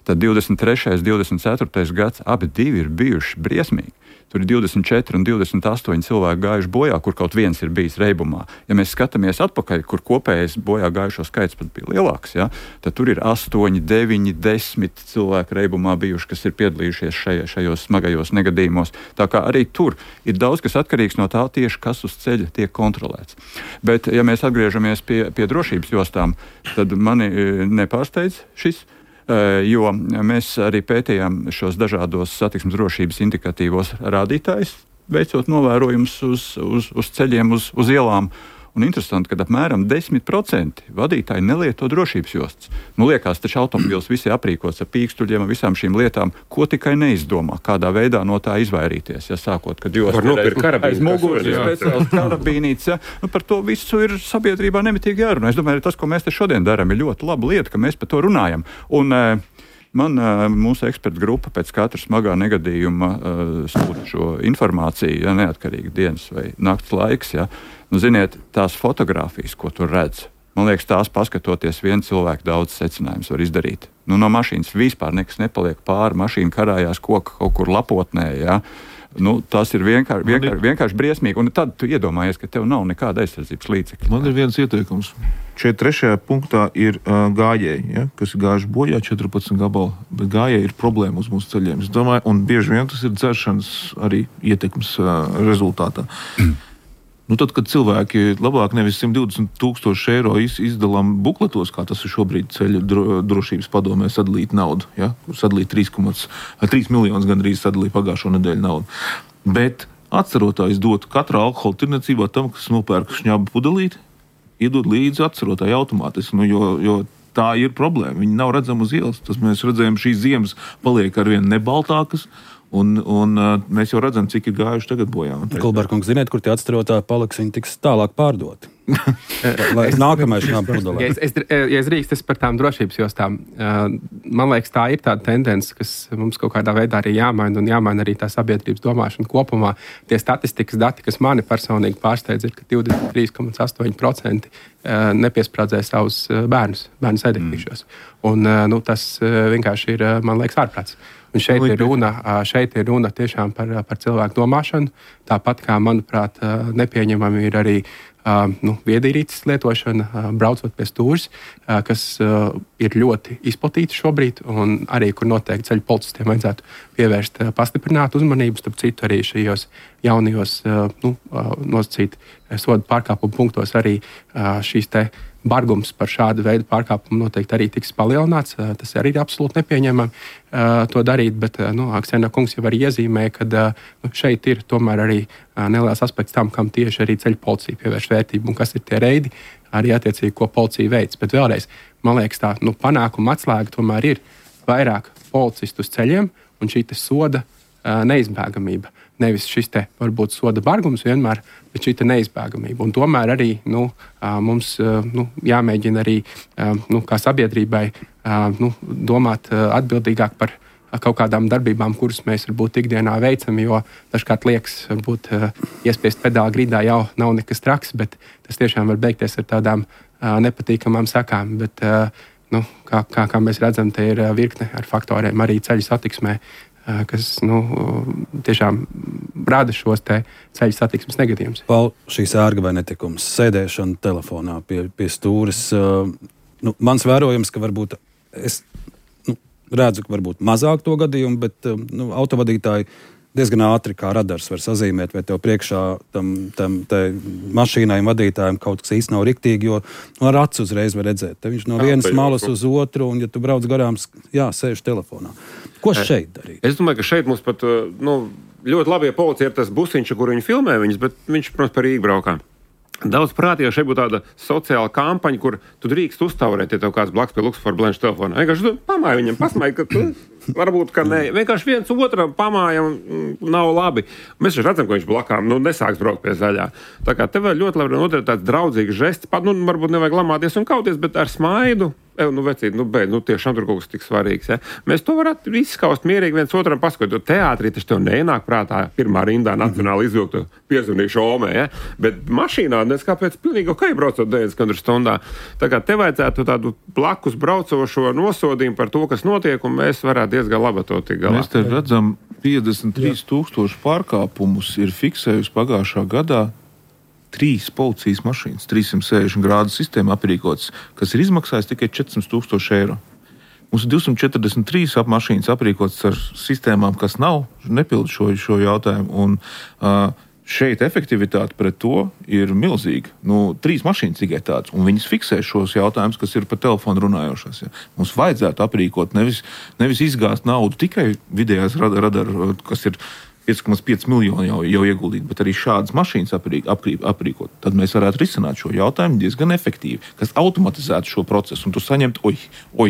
Speaker 4: tad 23. un 24. gads abi divi ir bijuši briesmīgi. Tur ir 24 un 28 cilvēki gājuši bojā, kur kaut viens ir bijis reibumā. Ja mēs skatāmies atpakaļ, kur kopējais bojā gājušo skaits pat bija lielāks, ja, tad tur ir 8, 9, 10 cilvēki reibumā bijuši, kas ir piedalījušies šajos smagajos negadījumos. Tā kā arī tur ir daudz, kas atkarīgs no tā tieši, kas uz ceļa tiek kontrolēts. Bet, ja mēs atgriežamies pie drošības jostām, tad mani nepārsteidz šis. Jo mēs arī pētījām šos dažādos satiksmes drošības indikatīvos rādītājus, veicot novērojumus uz ceļiem, uz ielām. Un interesanti, ka apmēram 10% vadītāji nelieto drošības jostas. Liekas, taču automobils visi aprīkots ar pīkstuļiem un visām šīm lietām, ko tikai neizdomā, kādā veidā no tā izvairīties. Ja sākot, kad jūs aiz muguras ir speciāls karabīnīts, ja, par to visu ir sabiedrībā nemitīgi jārunā. Es domāju, tas, ko mēs te šodien darām, ir ļoti laba lieta, ka mēs par to runājam. Un mūsu ekspertu grupa pēc katra smagā negadījuma sūta šo informāciju, ja neatkarīgi dienas vai nakts laiks. Ja. Ziniet, tās fotogrāfijas, ko tur redz, man liekas, tās paskatoties vienu cilvēku daudz secinājumus var izdarīt. No mašīnas vispār nekas nepaliek pāri, mašīna karājās koka kaut kur lapotnē, ja. Tas ir vienkārši briesmīgi, un tad tu iedomājies, ka tev nav nekāda aizsardzības līdzekļa.
Speaker 5: Man ir viens ieteikums. Šeit 3. punktā ir gājēji, ja, kas ir gājuši bojā 14 gabalu, bet gājēji ir problēma uz mūsu ceļiem. Es domāju, un bieži vien tas ir dzeršanas arī ietekmes rezultātā. Tad, kad cilvēki labāk nevis 120,000 eiro izdalām bukletos, kā tas ir šobrīd ceļu drošības padomē sadalīt naudu, ja? Sadalīt 3 miljonus gandrīz sadalīja pagājušo nedēļu naudu. Bet atcerotāji dotu katrā alkohola tirniecībā tam, kas nopērk šņabu pudelīti, iedod līdzi atcerotāji automātiski, jo Tā ir problēma. Viņi nav redzami uz ielas. Tas mēs redzējām, šīs ziemas paliek arvien nebaltākas. Un mēs jau redzam, cik ir gājuši tagad bojā.
Speaker 2: Kulberkungs, ziniet, kur tie atstarotāji paliks, viņi tiks tālāk pārdoti. Vai nākamais šām pudelē?
Speaker 7: Ja es drīkst, par tām drošības jostām, man liekas, tā ir tāda tendence, kas mums kaut kādā veidā arī jāmaina un jāmaina arī tā sabiedrības domāšana kopumā. Tie statistikas dati, kas mani personīgi pārsteidz, ir, ka 23,8% nepiesprādzē savus bērnu sēdekļos. Un tas vienkārši ir, man liekas, ārprāts. Un šeit ir runa tiešām par cilvēku domāšanu. Tāpat kā, manuprāt, nepieņemami ir arī viedierīces lietošana, braucot pie stūres, kas ir ļoti izplatīta šobrīd, un arī, kur noteikti ceļu policistiem vajadzētu pievērst pastiprinātu uzmanību, starp citu arī šajos jaunajos nosacīt sodu pārkāpumu punktos arī šīs te bargums par šādu veidu pārkāpumu noteikti arī tiks palielināts. Tas arī ir absolūti nepieņemami to darīt, bet Aksena kungs jau arī iezīmē, ka šeit ir tomēr arī neliels aspekts tam, kam tieši arī ceļu policija pievērš vērtību un kas ir tie reidi, arī attiecīgi, ko policija veic. Bet vēlreiz, man liekas, tā panākuma atslēga tomēr ir vairāk policistu uz ceļiem un šī soda neizbēgamība. Nevis šis te varbūt soda bargums vienmēr, bet šī te neizbēgamība. Un tomēr arī mums jāmēģina arī kā sabiedrībai domāt atbildīgāk par kaut kādām darbībām, kuras mēs varbūt ikdienā veicam, jo dažkārt liekas, varbūt iespiest pedāli gridā jau nav nekas traks, bet tas tiešām var beigties ar tādām nepatīkamām sekām. Bet, kā mēs redzam, te ir virkne ar faktoriem arī ceļu satiksmē, kas tiešām rada šos ceļu satiksmes negadījumus.
Speaker 2: Paul, šīs ērga vai netikums, sēdēšana telefonā pie stūres, mans vērojums, ka varbūt es redzu, ka varbūt mazāk to gadījumu, bet autovadītāji diezgan ātri kā radars var sazīmēt, vai tev priekšā tam mašīnai un vadītājiem kaut kas īsti nav riktīgi, jo ar acu uzreiz var redzēt. Te viņš no vienas malas uz otru, un ja tu brauc garām, sēž telefonā. Ko šeit darīt?
Speaker 3: Es domāju, ka šeit mums pat ļoti labi, ja policija ir tas busiņš, kur viņi filmē viņus, bet viņš, protams, par Rīgu braukā. Daudz prātīgi, šeit būtu tāda sociāla kampaņa, kur tu drīkst uztaurēt, ja tev kāds blakus pie Luxford Blanche telefona. Vienkārši pamāj viņam, pasmāj, ka tu varbūt, ka ne. Vienkārši viens otram pamājam nav labi. Mēs jau redzam, ka viņš blakām nesāks braukt pie zaļā. Tā kā tev ļoti labi notiek tāds draudzīgs žests, pat varbūt nevajag lamāties un kauties, bet ar smaidu. Vecīt, tiešām tur kaut kas tik svarīgs. Ja? Mēs to varētu izskaust mierīgi viens otram paskatot. Teātrī taču tev neienāk prātā pirmā rindā nacionāli izvilktu piezvanīšu omē, ja? Bet mašīnā kāpēc pilnīgi ok braucot 90 km/h. Tā kā te vajadzētu tādu blakus braucošo nosodījumu par to, kas notiek, un mēs varētu diezgan labi to tik galā.
Speaker 5: Mēs te redzam 53,000 pārkāpumus ir fiksējusi pagājušā gadā 3 policijas mašīnas, 360 grādu sistēma aprīkotas, kas ir izmaksājis tikai 400,000 eiro. Mums ir 243 mašīnas aprīkotas ar sistēmām, kas nepilda šo jautājumu. Un šeit efektivitāte pret to ir milzīga. 3 mašīnas tikai tādas, un viņas fiksē šos jautājumus, kas ir pa telefonu runājošās. Ja. Mums vajadzētu aprīkot, nevis izgāzt naudu tikai vidējās radaru, kas ir 5,5 miljoni jau ieguldīt, bet arī šādas mašīnas aprīkot. Tad mēs varētu risināt šo jautājumu diezgan efektīvi, kas automatizētu šo procesu. Un tu saņemtu,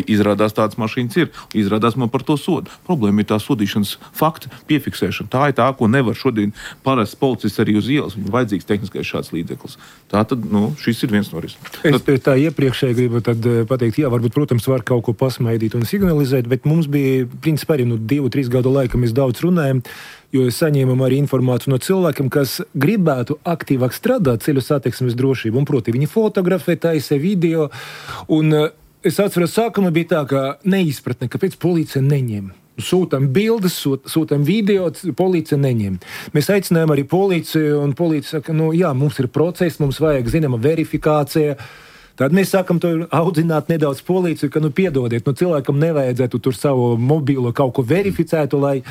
Speaker 5: izrādās tādas mašīnas ir, izrādās man par to sodu. Problēma ir tā sodīšanas fakta piefiksēšana. Tā ir tā, ko nevar šodien parasts policists arī uz ielas. Viņam vajadzīgs tehniskais šāds līdzeklis. Tā tad, šis ir viens no risinājumiem.
Speaker 6: Es tā iepriekšēji gribu pateikt, varbūt, protams, var kaut ko pasmaidīt un signalizēt, bet mums bija, principā, arī 2-3 gadu laika mēs daudz runājam, jo saņēmām arī informāciju no cilvēkiem, kas gribētu aktīvāk strādāt ceļu satiksmes drošību. Un, proti, viņi fotografē, taisa video. Un es atceros, sākumā bija tā, ka neizpratne, kāpēc policija neņem. Sūtām bildes, sūtām video, policija neņem. Mēs aicinājām arī policiju, un policija saka, mums ir process, mums vajag zināma verifikācija. Tad mēs sākam to audzināt nedaudz policiju, ka, piedodiet, cilvēkam nevajadzētu tur savu mobilo kaut ko verificētu, lai...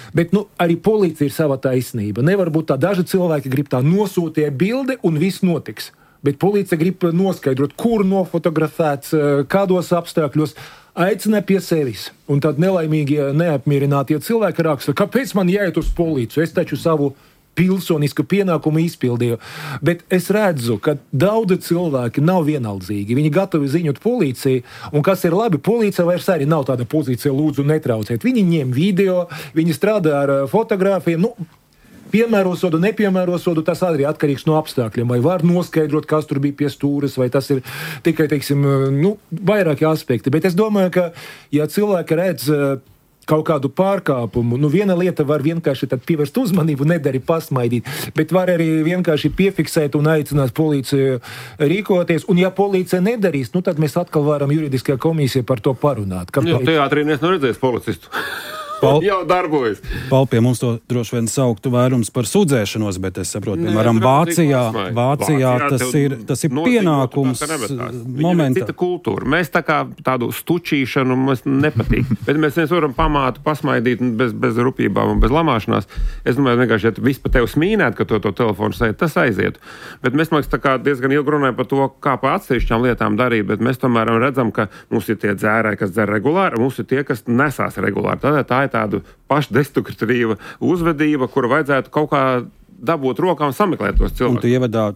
Speaker 6: Bet arī policija ir sava taisnība. Nevar būt tā, daži cilvēki grib tā nosūtīt bildi un viss notiks. Bet policija grib noskaidrot, kur nofotografēts, kādos apstākļos, aicina pie sevis. Un tad nelaimīgie, neapmierinātie cilvēki raksta, kāpēc man jāiet uz policiju? Es taču savu pilsonisku pienākumu izpildīju. Bet es redzu, ka daudzi cilvēki nav vienaldzīgi. Viņi gatavi ziņot policiju, un kas ir labi, policija vairs arī nav tāda pozīcija lūdzu netraucēt. Viņi ņem video, viņi strādā ar fotogrāfiem, piemēro sodu, nepiemēro sodu, tas arī atkarīgs no apstākļiem. Vai var noskaidrot, kas tur bija pie stūres, vai tas ir tikai, vairāki aspekti. Bet es domāju, ka, ja cilvēki redz kaut kādu pārkāpumu, viena lieta var vienkārši tad pievērst uzmanību, nedari pasmaidīt, bet var arī vienkārši piefiksēt un aicināt policiju rīkoties. Un ja policija nedarīs, tad mēs atkal varam juridiskajā komisijā par to parunāt.
Speaker 3: Teātrī neesmu redzējis policistu. Jau darbojas.
Speaker 2: Pie mums to droši vien sauktu vairums par sūdzēšanos, bet es saprotu, piemēram, Vācijā tas ir pienākums momentā.
Speaker 3: Cita kultūra. Mēs tādu stučīšanu mums nepatīk, bet mēs varam pasmaidīt bez rupībām un bez lamāšanās. Es domāju, vienkārši, ja viss pa tevi smīnēt, ka to telefonu sēd, tas aizietu. Bet mēs, man liekas, diezgan ilgi runājam par to, kā pa atsevišķām lietām darīt, bet mēs tomēr redzam, ka mums ir tie dzērāji, kas dzer regulāri, mums ir tie, kas nesās regulāri. Tā ir tāda pašdestruktīva uzvedība, kuru vajadzētu kaut kā dabūt rokām sameklēt tos cilvēkus.
Speaker 2: Un tu ievadā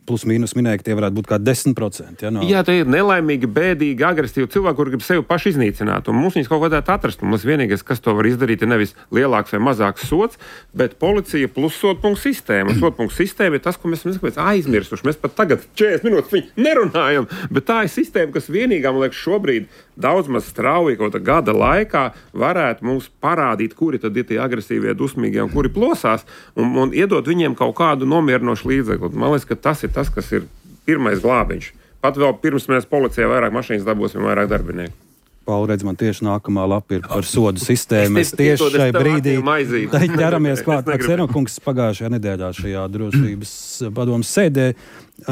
Speaker 2: plus mīnus minēja, ka tie varētu būt kā 10%.
Speaker 3: Jā, tie ir nelaimīgi, bēdīgi, agresīvi cilvēki, kuri grib sevi paši iznīcināt. Un mums viņus kaut kādētu atrast. Un mums vienīgais, kas to var izdarīt, ir nevis lielāks vai mazāks sods, bet policija plus sodpunktu sistēma. Sodpunktu sistēma ir tas, ko mēs aizmirsuši. Mēs pat tagad 40 minūtes viņu nerunājam, bet tā ir sistēma, kas vienīgā, man liekas, šobrīd daudz maz strauji kaut gada laikā varētu mums parādīt, kuri tad ir tie agresīvie, dusmīgie un kuri plosās, un iedot viņiem kaut kādu nomierinošu līdzekli. Man liekas, ka tas ir tas, kas ir pirmais glābiņš. Pat vēl pirms mēs policijā vairāk mašīnas dabūsim, vairāk darbinieku.
Speaker 2: Pauli, redz, man tieši nākamā lapa ir par sodu sistēmu. Mēs tieši šai brīdī ķeramies klāt. Ksenokungs pagājušajā nedēļā šajā drošības padomas sēdē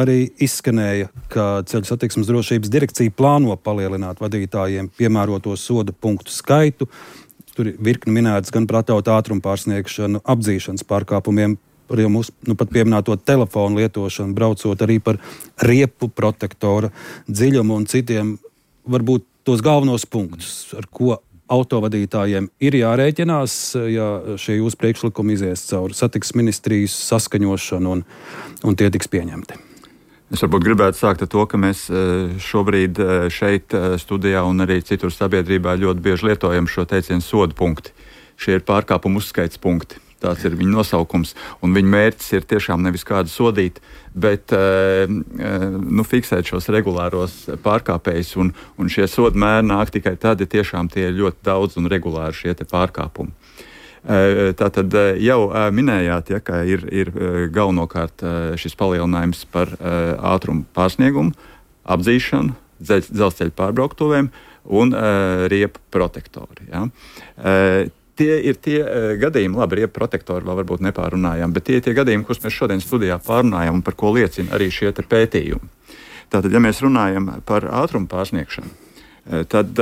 Speaker 2: arī izskanēja, ka Ceļu satiksmes drošības direkcija plāno palielināt vadītājiem piemēroto soda punktu skaitu. Tur ir virkni minēts gan par atļautu ātrumu pārsniegšanu, apdzīšanas pārkāpumiem, par jau mūsu pat pieminēto telefonu lietošanu, braucot arī par riepu protektora dziļumu un citiem varbūt tos galvenos punktus, ar ko autovadītājiem ir jārēķinās, ja šie jūsu priekšlikumi izies cauri satiksmes ministrijas saskaņošanu un tie tiks pieņemti.
Speaker 4: Es varbūt gribētu sākt ar to, ka mēs šobrīd šeit studijā un arī citur sabiedrībā ļoti bieži lietojam šo teicienu sodu punkti. Šie ir pārkāpumu uzskaits punkti. Tāds ir viņa nosaukums, un viņa mērķis ir tiešām nevis kādu sodīt, bet fiksēt šos regulāros pārkāpējus, un šie sodu mēri nāk tikai tad, ja tiešām tie ir ļoti daudz un regulāri šie te pārkāpumi. Tātad jau minējāt, ka ir galvenokārt šis palielinājums par ātrumu pārsniegumu, apdzīšanu, dzelzceļa pārbrauktuvēm un riepu protektori. Ja? Tie ir tie gadījumi, labi, riepu protektori vēl varbūt nepārunājām, bet tie ir tie gadījumi, kurus mēs šodien studijā pārunājam un par ko liecina arī šie te pētījumi. Tātad, ja mēs runājam par ātrumu pārsniegšanu, tad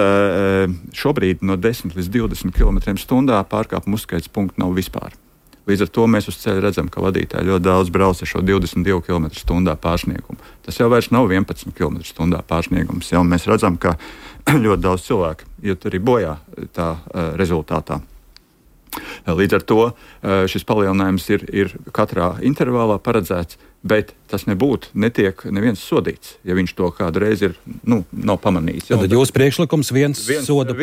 Speaker 4: šobrīd no 10 līdz 20 km/h pārkāpumu uzskaits punktu nav vispār. Līdz ar to mēs uz ceļa redzam, ka vadītāji ļoti daudz brauc ar šo 22 km/h pārsniegumu. Tas jau vairs nav 11 km/h pārsniegums. Jau mēs redzam, ka ļoti daudz cilvēku iet arī bojā tā rezultātā. Līdz ar to šis palielinājums ir katrā intervālā paredzēts, bet tas netiek neviens sodīts, ja viņš to kādu reizi nav pamanījis.
Speaker 2: Tad jūsu priekšlikums viens soda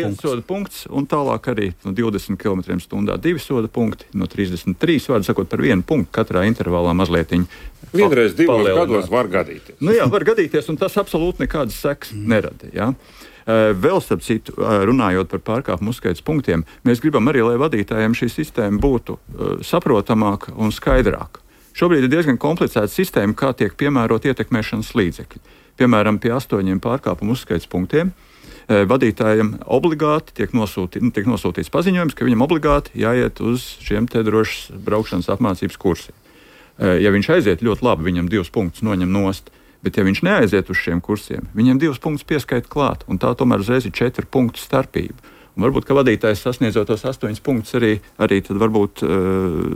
Speaker 4: punkts, un tālāk arī no 20 km/h 2 soda punkti, no 33, vārdu sakot, par vienu punktu katrā intervālā mazlietiņ.
Speaker 3: Vienreiz 2 gados var gadīties.
Speaker 4: Jā, var gadīties, un tas absolūti nekādas sekas nerada. Jā. Vēl starp citu, runājot par pārkāpumu uzskaits punktiem, mēs gribam arī, lai vadītājiem šī sistēma būtu saprotamāka un skaidrāka. Šobrīd ir diezgan komplicēta sistēma, kā tiek piemērot ietekmēšanas līdzekļi. Piemēram, pie 8 pārkāpumu uzskaits punktiem vadītājiem obligāti tiek nosūtīts paziņojums, ka viņam obligāti jāiet uz šiem te drošas braukšanas apmācības kursiem. Ja viņš aiziet ļoti labi, viņam 2 punktus noņem nost. Bet, ja viņš neaiziet uz šiem kursiem, viņam 2 punktus pieskaita klāt, un tā tomēr uzreiz ir 4 punktu starpība. Un varbūt, ka vadītājs sasniedzot tos 8 punktus arī tad varbūt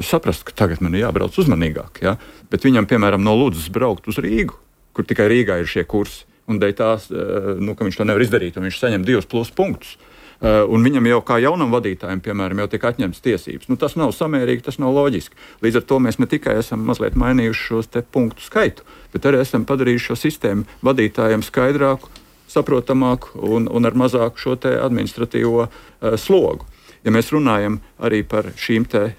Speaker 4: saprast, ka tagad man ir jābrauc uzmanīgāk. Ja? Bet viņam, piemēram, no Ludzas braukt uz Rīgu, kur tikai Rīgā ir šie kursi, un dēļ tās, ka viņš to nevar izdarīt, un viņš saņem 2 plus punktus. un viņam jau kā jaunam vadītājam, piemēram, jau tiek atņemtas tiesības. Tas nav samērīgi, tas nav loģiski. Līdz ar to mēs ne tikai esam mazliet mainījuši šos te punktu skaitu, bet arī esam padarījuši šo sistēmu vadītājiem skaidrāku, saprotamāku un ar mazāku šo te administratīvo slogu. Ja mēs runājam arī par šīm te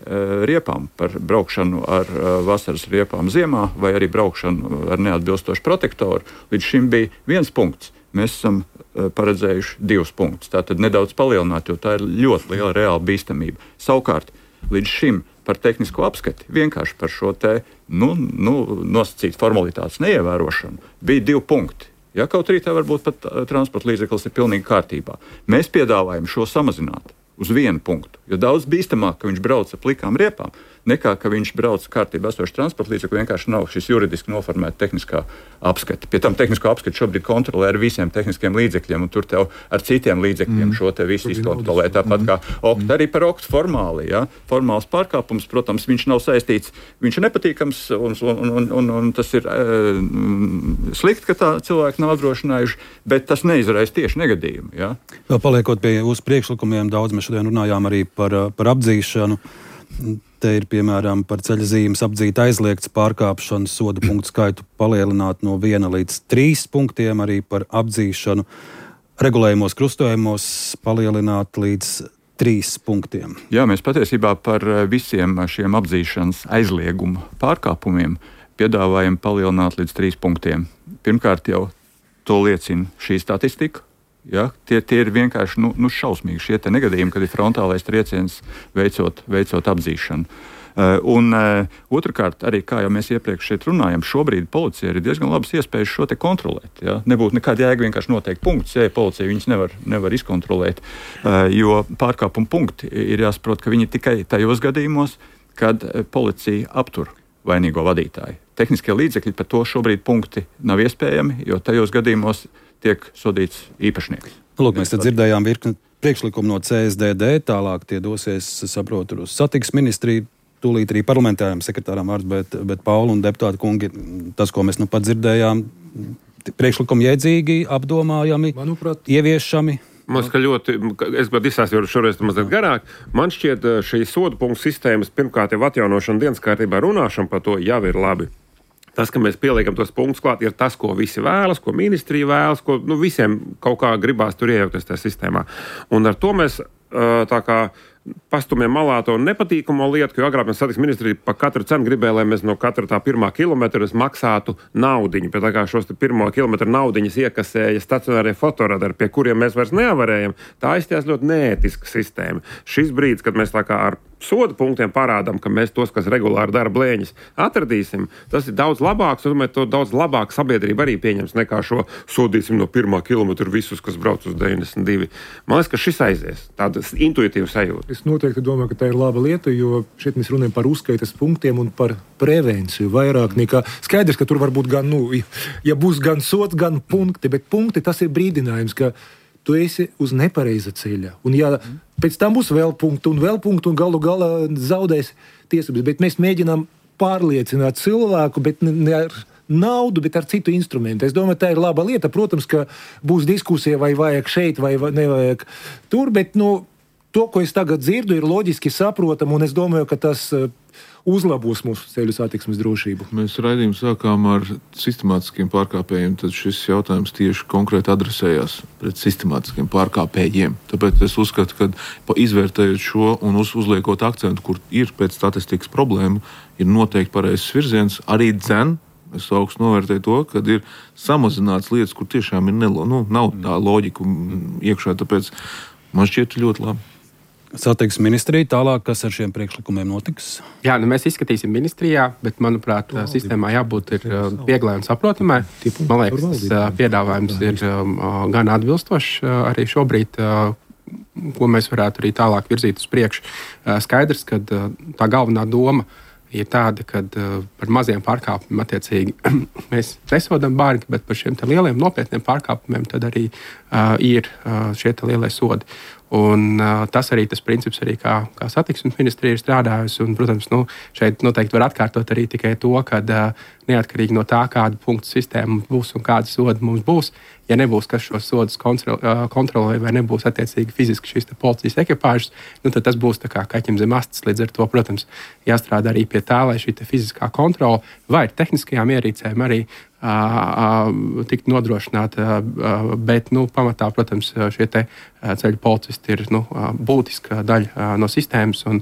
Speaker 4: riepām, par braukšanu ar vasaras riepām ziemā vai arī braukšanu ar neatbilstošu protektoru, līdz šim bija 1 punkts. Mēs esam paredzējuši 2 punktus. Tātad nedaudz palielināt, jo tā ir ļoti liela reāla bīstamība. Savukārt, līdz šim par tehnisko apskati, vienkārši par šo te nosacīt formalitātes neievērošanu, bija 2 punkti. Ja, kaut arī tā varbūt pat transporta līdzeklis ir pilnīgi kārtībā. Mēs piedāvājam šo samazināt uz 1 punktu, jo daudz bīstamāk, ka viņš brauc ar plikām riepām, nekā ka viņš brauc kārtībā esošu transporta līdzekli, vienkārši nav šis juridiski noformēta tehniskā apskata. Pie tam tehnisko apskatu šobrīd kontrolē ar visiem tehniskiem līdzekļiem, un tur tev ar citiem līdzekļiem šo te visu izkontrolē. Tāpat kā OKT, arī par OKT formāli. Ja? Formāls pārkāpums, protams, viņš nav saistīts, viņš ir nepatīkams, un tas ir slikti, ka tā cilvēki nav apdrošinājuši, bet tas neizraisa tieši negadījumu. Ja?
Speaker 2: Paliekot pie jūsu priekšlikumiem, daudz mēs šodien runājām arī par apdzīšanu. Te ir, piemēram, par ceļzīmes apdzīt aizliegts pārkāpšanas soda punktu skaitu palielināt no 1 līdz 3 punktiem, arī par apdzīšanu regulējumos krustojumos palielināt līdz 3 punktiem.
Speaker 4: Jā, mēs patiesībā par visiem šiem apdzīšanas aizlieguma pārkāpumiem piedāvājam palielināt līdz 3 punktiem. Pirmkārt jau to liecina šī statistika. Ja, tie ir vienkārši šausmīgi šie negadījumi, kad ir frontālais trieciens veicot apdzīšanu. Otrakārt, arī kā jau mēs iepriekš šeit runājam, šobrīd policija ir diezgan labas iespējas šo te kontrolēt. Ja? Nebūtu nekāda jēga vienkārši noteikt punktus, ja policija viņus nevar izkontrolēt, jo pārkāpuma punkti ir jāsaprot, ka viņi tikai tajos gadījumos, kad policija aptur vainīgo vadītāju. Tehniskie līdzekļi par to šobrīd punkti nav iespējami, jo tajos gadījumos tiek sodīts īpašnieks.
Speaker 2: Lūk, mēs te dzirdējām virkni priekšlikumu no CSDD, tālāk tie dosies, saprotu, uz satiksmes ministriju, tūlīt arī parlamentāriem sekretāram vārds, bet Paula un deputāti kungi, tas, ko mēs nu pat dzirdējām, priekšlikumi jēdzīgi, apdomājami, manuprāt, ieviešami.
Speaker 3: Man šķiet ļoti, es gribētu izstāstīt šoreiz mazliet garāk, man šķiet šī sodu punktu sistēmas pirmkārt jau atjaunošana dienas kārtībā runāšana par to jau ir labi. Tas, ka mēs pieliekam tos punktus klāt, ir tas, ko visi vēlas, ko ministrija vēlas, ko visiem kaut kā gribās tur iejaukties tajā sistēmā. Un ar to mēs tā kā pastumjam malā to nepatīkamo lietu, jo agrāk mēs satiksmes ministrija par katru cenu gribēja, lai mēs no katra tā 1. kilometra maksātu naudiņu. Bet tā kā šos 1. kilometra naudiņas iekasēja stacionārie fotoradari, pie kuriem mēs vairs nevarējam, tā aizstājās ļoti neētiska sistēma. Šis brīdis, kad mēs tā kā ar soda punktiem parādām, ka mēs tos, kas regulāri dara blēņas, atradīsim, tas ir daudz labāks, un to daudz labāk sabiedrība arī pieņems nekā šo sodīsim no 1. kilometra visus, kas brauc uz 92. Man liekas, ka šis aizies. Tāda intuitīva sajūta.
Speaker 6: Es noteikti domāju, ka tā ir laba lieta, jo šeit mēs runājam par uzskaitas punktiem un par prevenciju vairāk nekā skaidrs, ka tur var būt gan, ja būs gan sots, gan punkti, bet punkti tas ir brīdinājums, ka tu esi uz nepareiza ceļa. Un ja pēc tam būs vēl punkti un galu galā zaudēs tiesības, bet mēs mēģinām pārliecināt cilvēku, bet ne ar naudu, bet ar citu instrumentu. Es domāju, tā ir laba lieta. Protams, ka būs diskusija, vai vajag šeit, vai nevajag tur, bet to, ko es tagad dzirdu, ir loģiski saprotam, un es domāju, ka tas uzlabos mūsu ceļu satiksmes drošību.
Speaker 5: Mēs raidījumu sākām ar sistemātiskiem pārkāpējiem, tad šis jautājums tieši konkrēti adresējās pret sistemātiskiem pārkāpējiem. Tāpēc es uzskatu, ka izvērtējot šo un uzliekot akcentu, kur ir pēc statistikas problēma, ir noteikti pareizs virziens, arī es augstu novērtēju to, ka ir samazināts lietas, kur tiešām ir nav tā loģika iekšā, tāpēc man šķiet ļoti labi.
Speaker 2: Satiksmes ministrija tālāk, kas ar šiem priekšlikumiem notiks?
Speaker 7: Jā, mēs izskatīsim ministrijā, bet, manuprāt, sistēmā jābūt vieglai un saprotamai. Man liekas, tas piedāvājums ir gan atbilstošs arī šobrīd, ko mēs varētu arī tālāk virzīt uz priekšu. Skaidrs, ka tā galvenā doma ir tāda, ka par maziem pārkāpumiem attiecīgi mēs nesodam bargi, bet par šiem lieliem nopietniem pārkāpumiem tad arī ir šie lielie sodi. Un tas arī tas princips, arī kā satiksmes ministrija ir strādājusi. Un, protams, šeit noteikti var atkārtot arī tikai to, ka neatkarīgi no tā, kāda punktu sistēma būs un kāda soda mums būs, ja nebūs kas šos sodus kontrolē vai nebūs attiecīgi fiziski šīs policijas ekipāžas, tad tas būs tā kā kaķim zem astes. Līdz ar to, protams, jāstrādā arī pie tā, lai šī fiziskā kontrole vai tehniskajām ierīcēm arī tikt nodrošināta, bet pamatā, protams, šie ceļu policisti ir būtiska daļa no sistēmas, un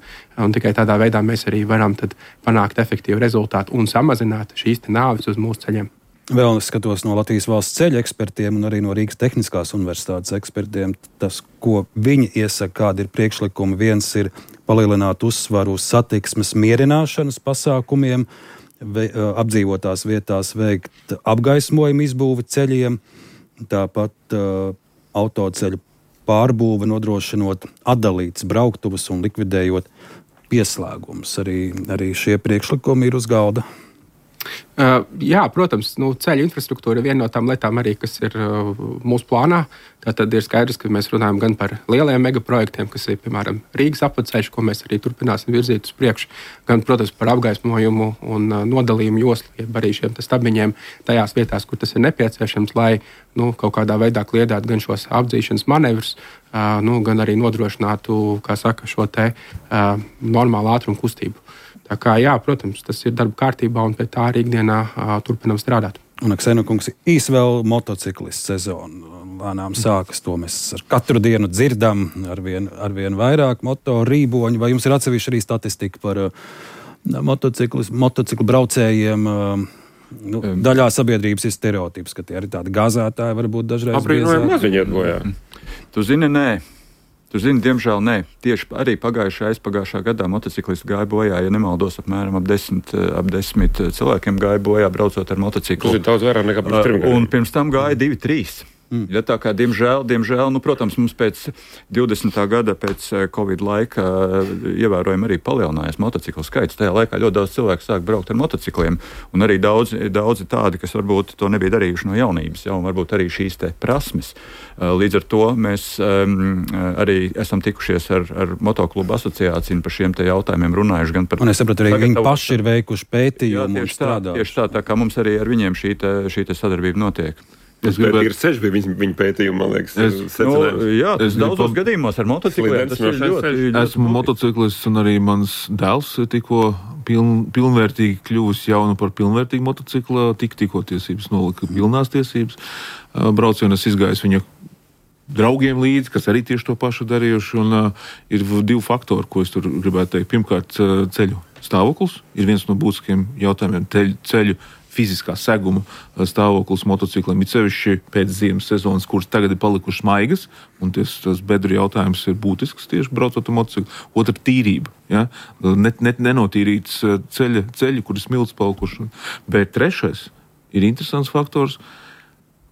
Speaker 7: tikai tādā veidā mēs arī varam panākt efektīvu rezultātu un samazināt šīs nāves uz mūsu ceļiem.
Speaker 2: Vēl es skatos no Latvijas valsts ceļu ekspertiem un arī no Rīgas Tehniskās universitātes ekspertiem. Tas, ko viņi iesaka, kādi ir priekšlikumi, viens ir palielināt uzsvaru uz satiksmes mierināšanas pasākumiem, apdzīvotās vietās veikt apgaismojumu izbūvi ceļiem, tāpat autoceļu pārbūve nodrošinot atdalītas brauktuvas un likvidējot pieslēgumus. Arī šie priekšlikumi ir uz galda.
Speaker 7: Jā, protams, ceļu infrastruktūra ir viena no tām lietām arī, kas ir mūsu plānā. Tātad ir skaidrs, ka mēs runājam gan par lieliem megaprojektiem, kas ir, piemēram, Rīgas apceļš, ko mēs arī turpināsim virzīt uz priekšu, gan, protams, par apgaismojumu un nodalījumu joslu, jeb arī šiem stabiņiem tajās vietās, kur tas ir nepieciešams, lai kaut kādā veidā kliedētu gan šos apdzīšanas manevrus, gan arī nodrošinātu, kā saka, šo normālu ātrumu kustību. Tā kā, jā, protams, tas ir darba kārtībā un pie tā arī ikdienā turpinam strādāt.
Speaker 2: Un, Aksena kungs, īsi vēl motociklistu sezonu lēnām sākas. To mēs ar katru dienu dzirdam arvien vairāk motoru rīboņu. Vai jums ir atsevišķi arī statistika par motociklu braucējiem? Daļā sabiedrības ir stereotips, ka tie arī tādi gāzētāji varbūt dažreiz
Speaker 3: aprīnojami maziņiet bojā.
Speaker 4: Tu zini, nē. Diemžēl nē. Tieši arī aizpagājušā gadā motociklisti gāja bojā, ja nemaldos, apmēram ap 10 cilvēkiem gāja bojā braucot ar motociklu.
Speaker 3: Tas ir daudz vairāk nekā pirms 3 gadiem.
Speaker 4: Un pirms tam gāja 2-3. Ja tā kā, diemžēl, protams, mums pēc 20. gada, pēc Covid laika, ievērojami arī palielinājās motociklu skaits. Tajā laikā ļoti daudz cilvēku sāk braukt ar motocikliem, un arī daudzi tādi, kas varbūt to nebija darījuši no jaunības, un varbūt arī šīs prasmes. Līdz ar to mēs arī esam tikušies ar motoklubu asociāciju un par šiem jautājumiem runājuši. Gan par,
Speaker 2: un es sapratu, arī viņi paši ir veikuši pētījumu un strādājuši.
Speaker 4: Tieši tā kā mums arī ar viņiem šī sadarbība notiek.
Speaker 3: Tas ir ceļš bija viņa pētījuma, man liekas, secinājums.
Speaker 4: Jā, tas daudzos gadījumos ar motocikliem.
Speaker 5: Esmu motociklists un arī mans dēls tikko pilnvērtīgi kļuvis jaunu par pilnvērtīgu motociklu, tikko tiesības nolika pilnās tiesības. Braucienu es izgājis viņa draugiem līdzi, kas arī tieši to pašu darījuši, un ir 2 faktori, ko es tur gribētu teikt. Pirmkārt, ceļu stāvoklis ir viens no būtiskiem jautājumiem. Ceļu fiziskā seguma stāvoklis motocikliem, it sevišķi pēc ziemas sezonas, kuras tagad ir palikušas maigas, un tas bedru jautājums ir būtisks tieši braucot ar motociklu. Otra - tīrība. Ja? Nenotīrīts ceļi, kur ir smilts palikuši. Bet trešais ir interesants faktors,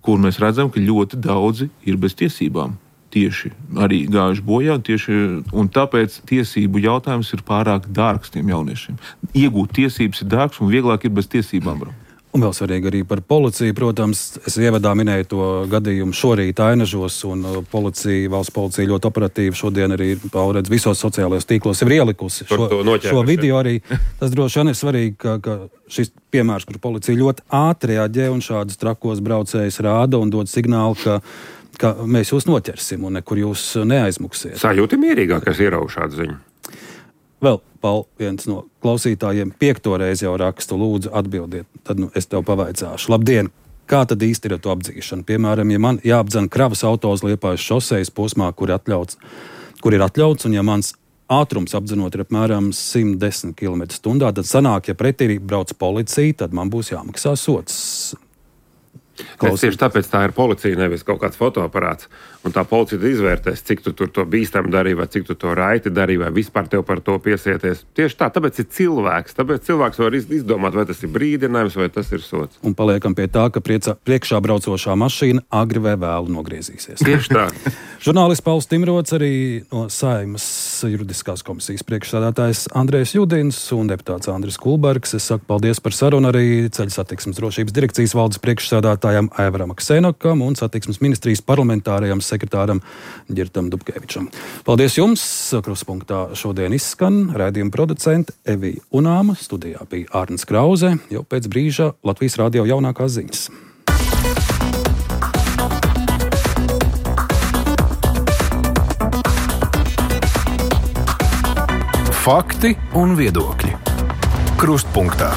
Speaker 5: kur mēs redzam, ka ļoti daudzi ir bez tiesībām. Tieši arī gājuši bojā, un tāpēc tiesību jautājums ir pārāk dārgs tiem jauniešiem. Iegūt tiesības ir dārgs un vieglāk ir bez tiesībām braukt.
Speaker 2: Un vēl svarīgi arī par policiju, protams, es ievadā minēju to gadījumu šorīt Ainažos, un valsts policija ļoti operatīvi šodien arī pārredz visos sociālajos tīklos ir ielikusi šo video arī. Tas droši vien ir svarīgi, ka šis piemērs, kur policija ļoti ātri reaģē un šādus trakos braucējus rāda un dod signālu, ka mēs jūs noķersim un nekur jūs neaizmuksiet.
Speaker 3: Sajūti mierīgāk, kas ierauga šādu ziņu.
Speaker 2: Vēl, Paul, viens no klausītājiem 5. reizi jau rakstu, lūdzu atbildiet, tad es tev pavaicāšu. Labdien! Kā tad īsti ir to apdzīšana? Piemēram, ja man jāapdzen kravas auto uz Liepājas šosejas posmā, kur ir atļauts, un ja mans ātrums apdzenot ir apmēram 110 km/h, tad sanāk, ja pretī brauc policija, tad man būs jāmaksā sots.
Speaker 3: Tieši tāpēc tā ir policija, nevis kaut kāds fotoaparāts. Un tā policija izvērtēs, cik tu tur to bīstami darīji, vai cik tu to raiti darīji, vai vispār tev par to piesieties. Tieši tā, tāpēc ir cilvēks. Tāpēc cilvēks var izdomāt, vai tas ir brīdinājums, vai tas ir sots.
Speaker 2: Un paliekam pie tā, ka priekšā braucošā mašīna agri vai vēlu nogriezīsies.
Speaker 3: Tieši tā.
Speaker 2: Žurnālists Pauls Timrots, arī no Saeimas juridiskās komisijas priekšsēdētājs Andrejs Judins un deputāts Andris Kulbergs. Es saku paldies par sarunu, arī Ceļu satiksmes drošības direkcijas valdes priekšsēdētājs priekšsēdētājam Aivaram Ksenokam un satiksmes ministrijas parlamentārajam sekretāram Ģirtam Dubkevičam. Paldies jums! Kruspunktā šodien izskan raidījuma producente Evija Unāma, studijā bija Ārnis Krauze, jau pēc brīža Latvijas radio jaunākās ziņas.
Speaker 1: Fakti un viedokļi. Krustpunktā.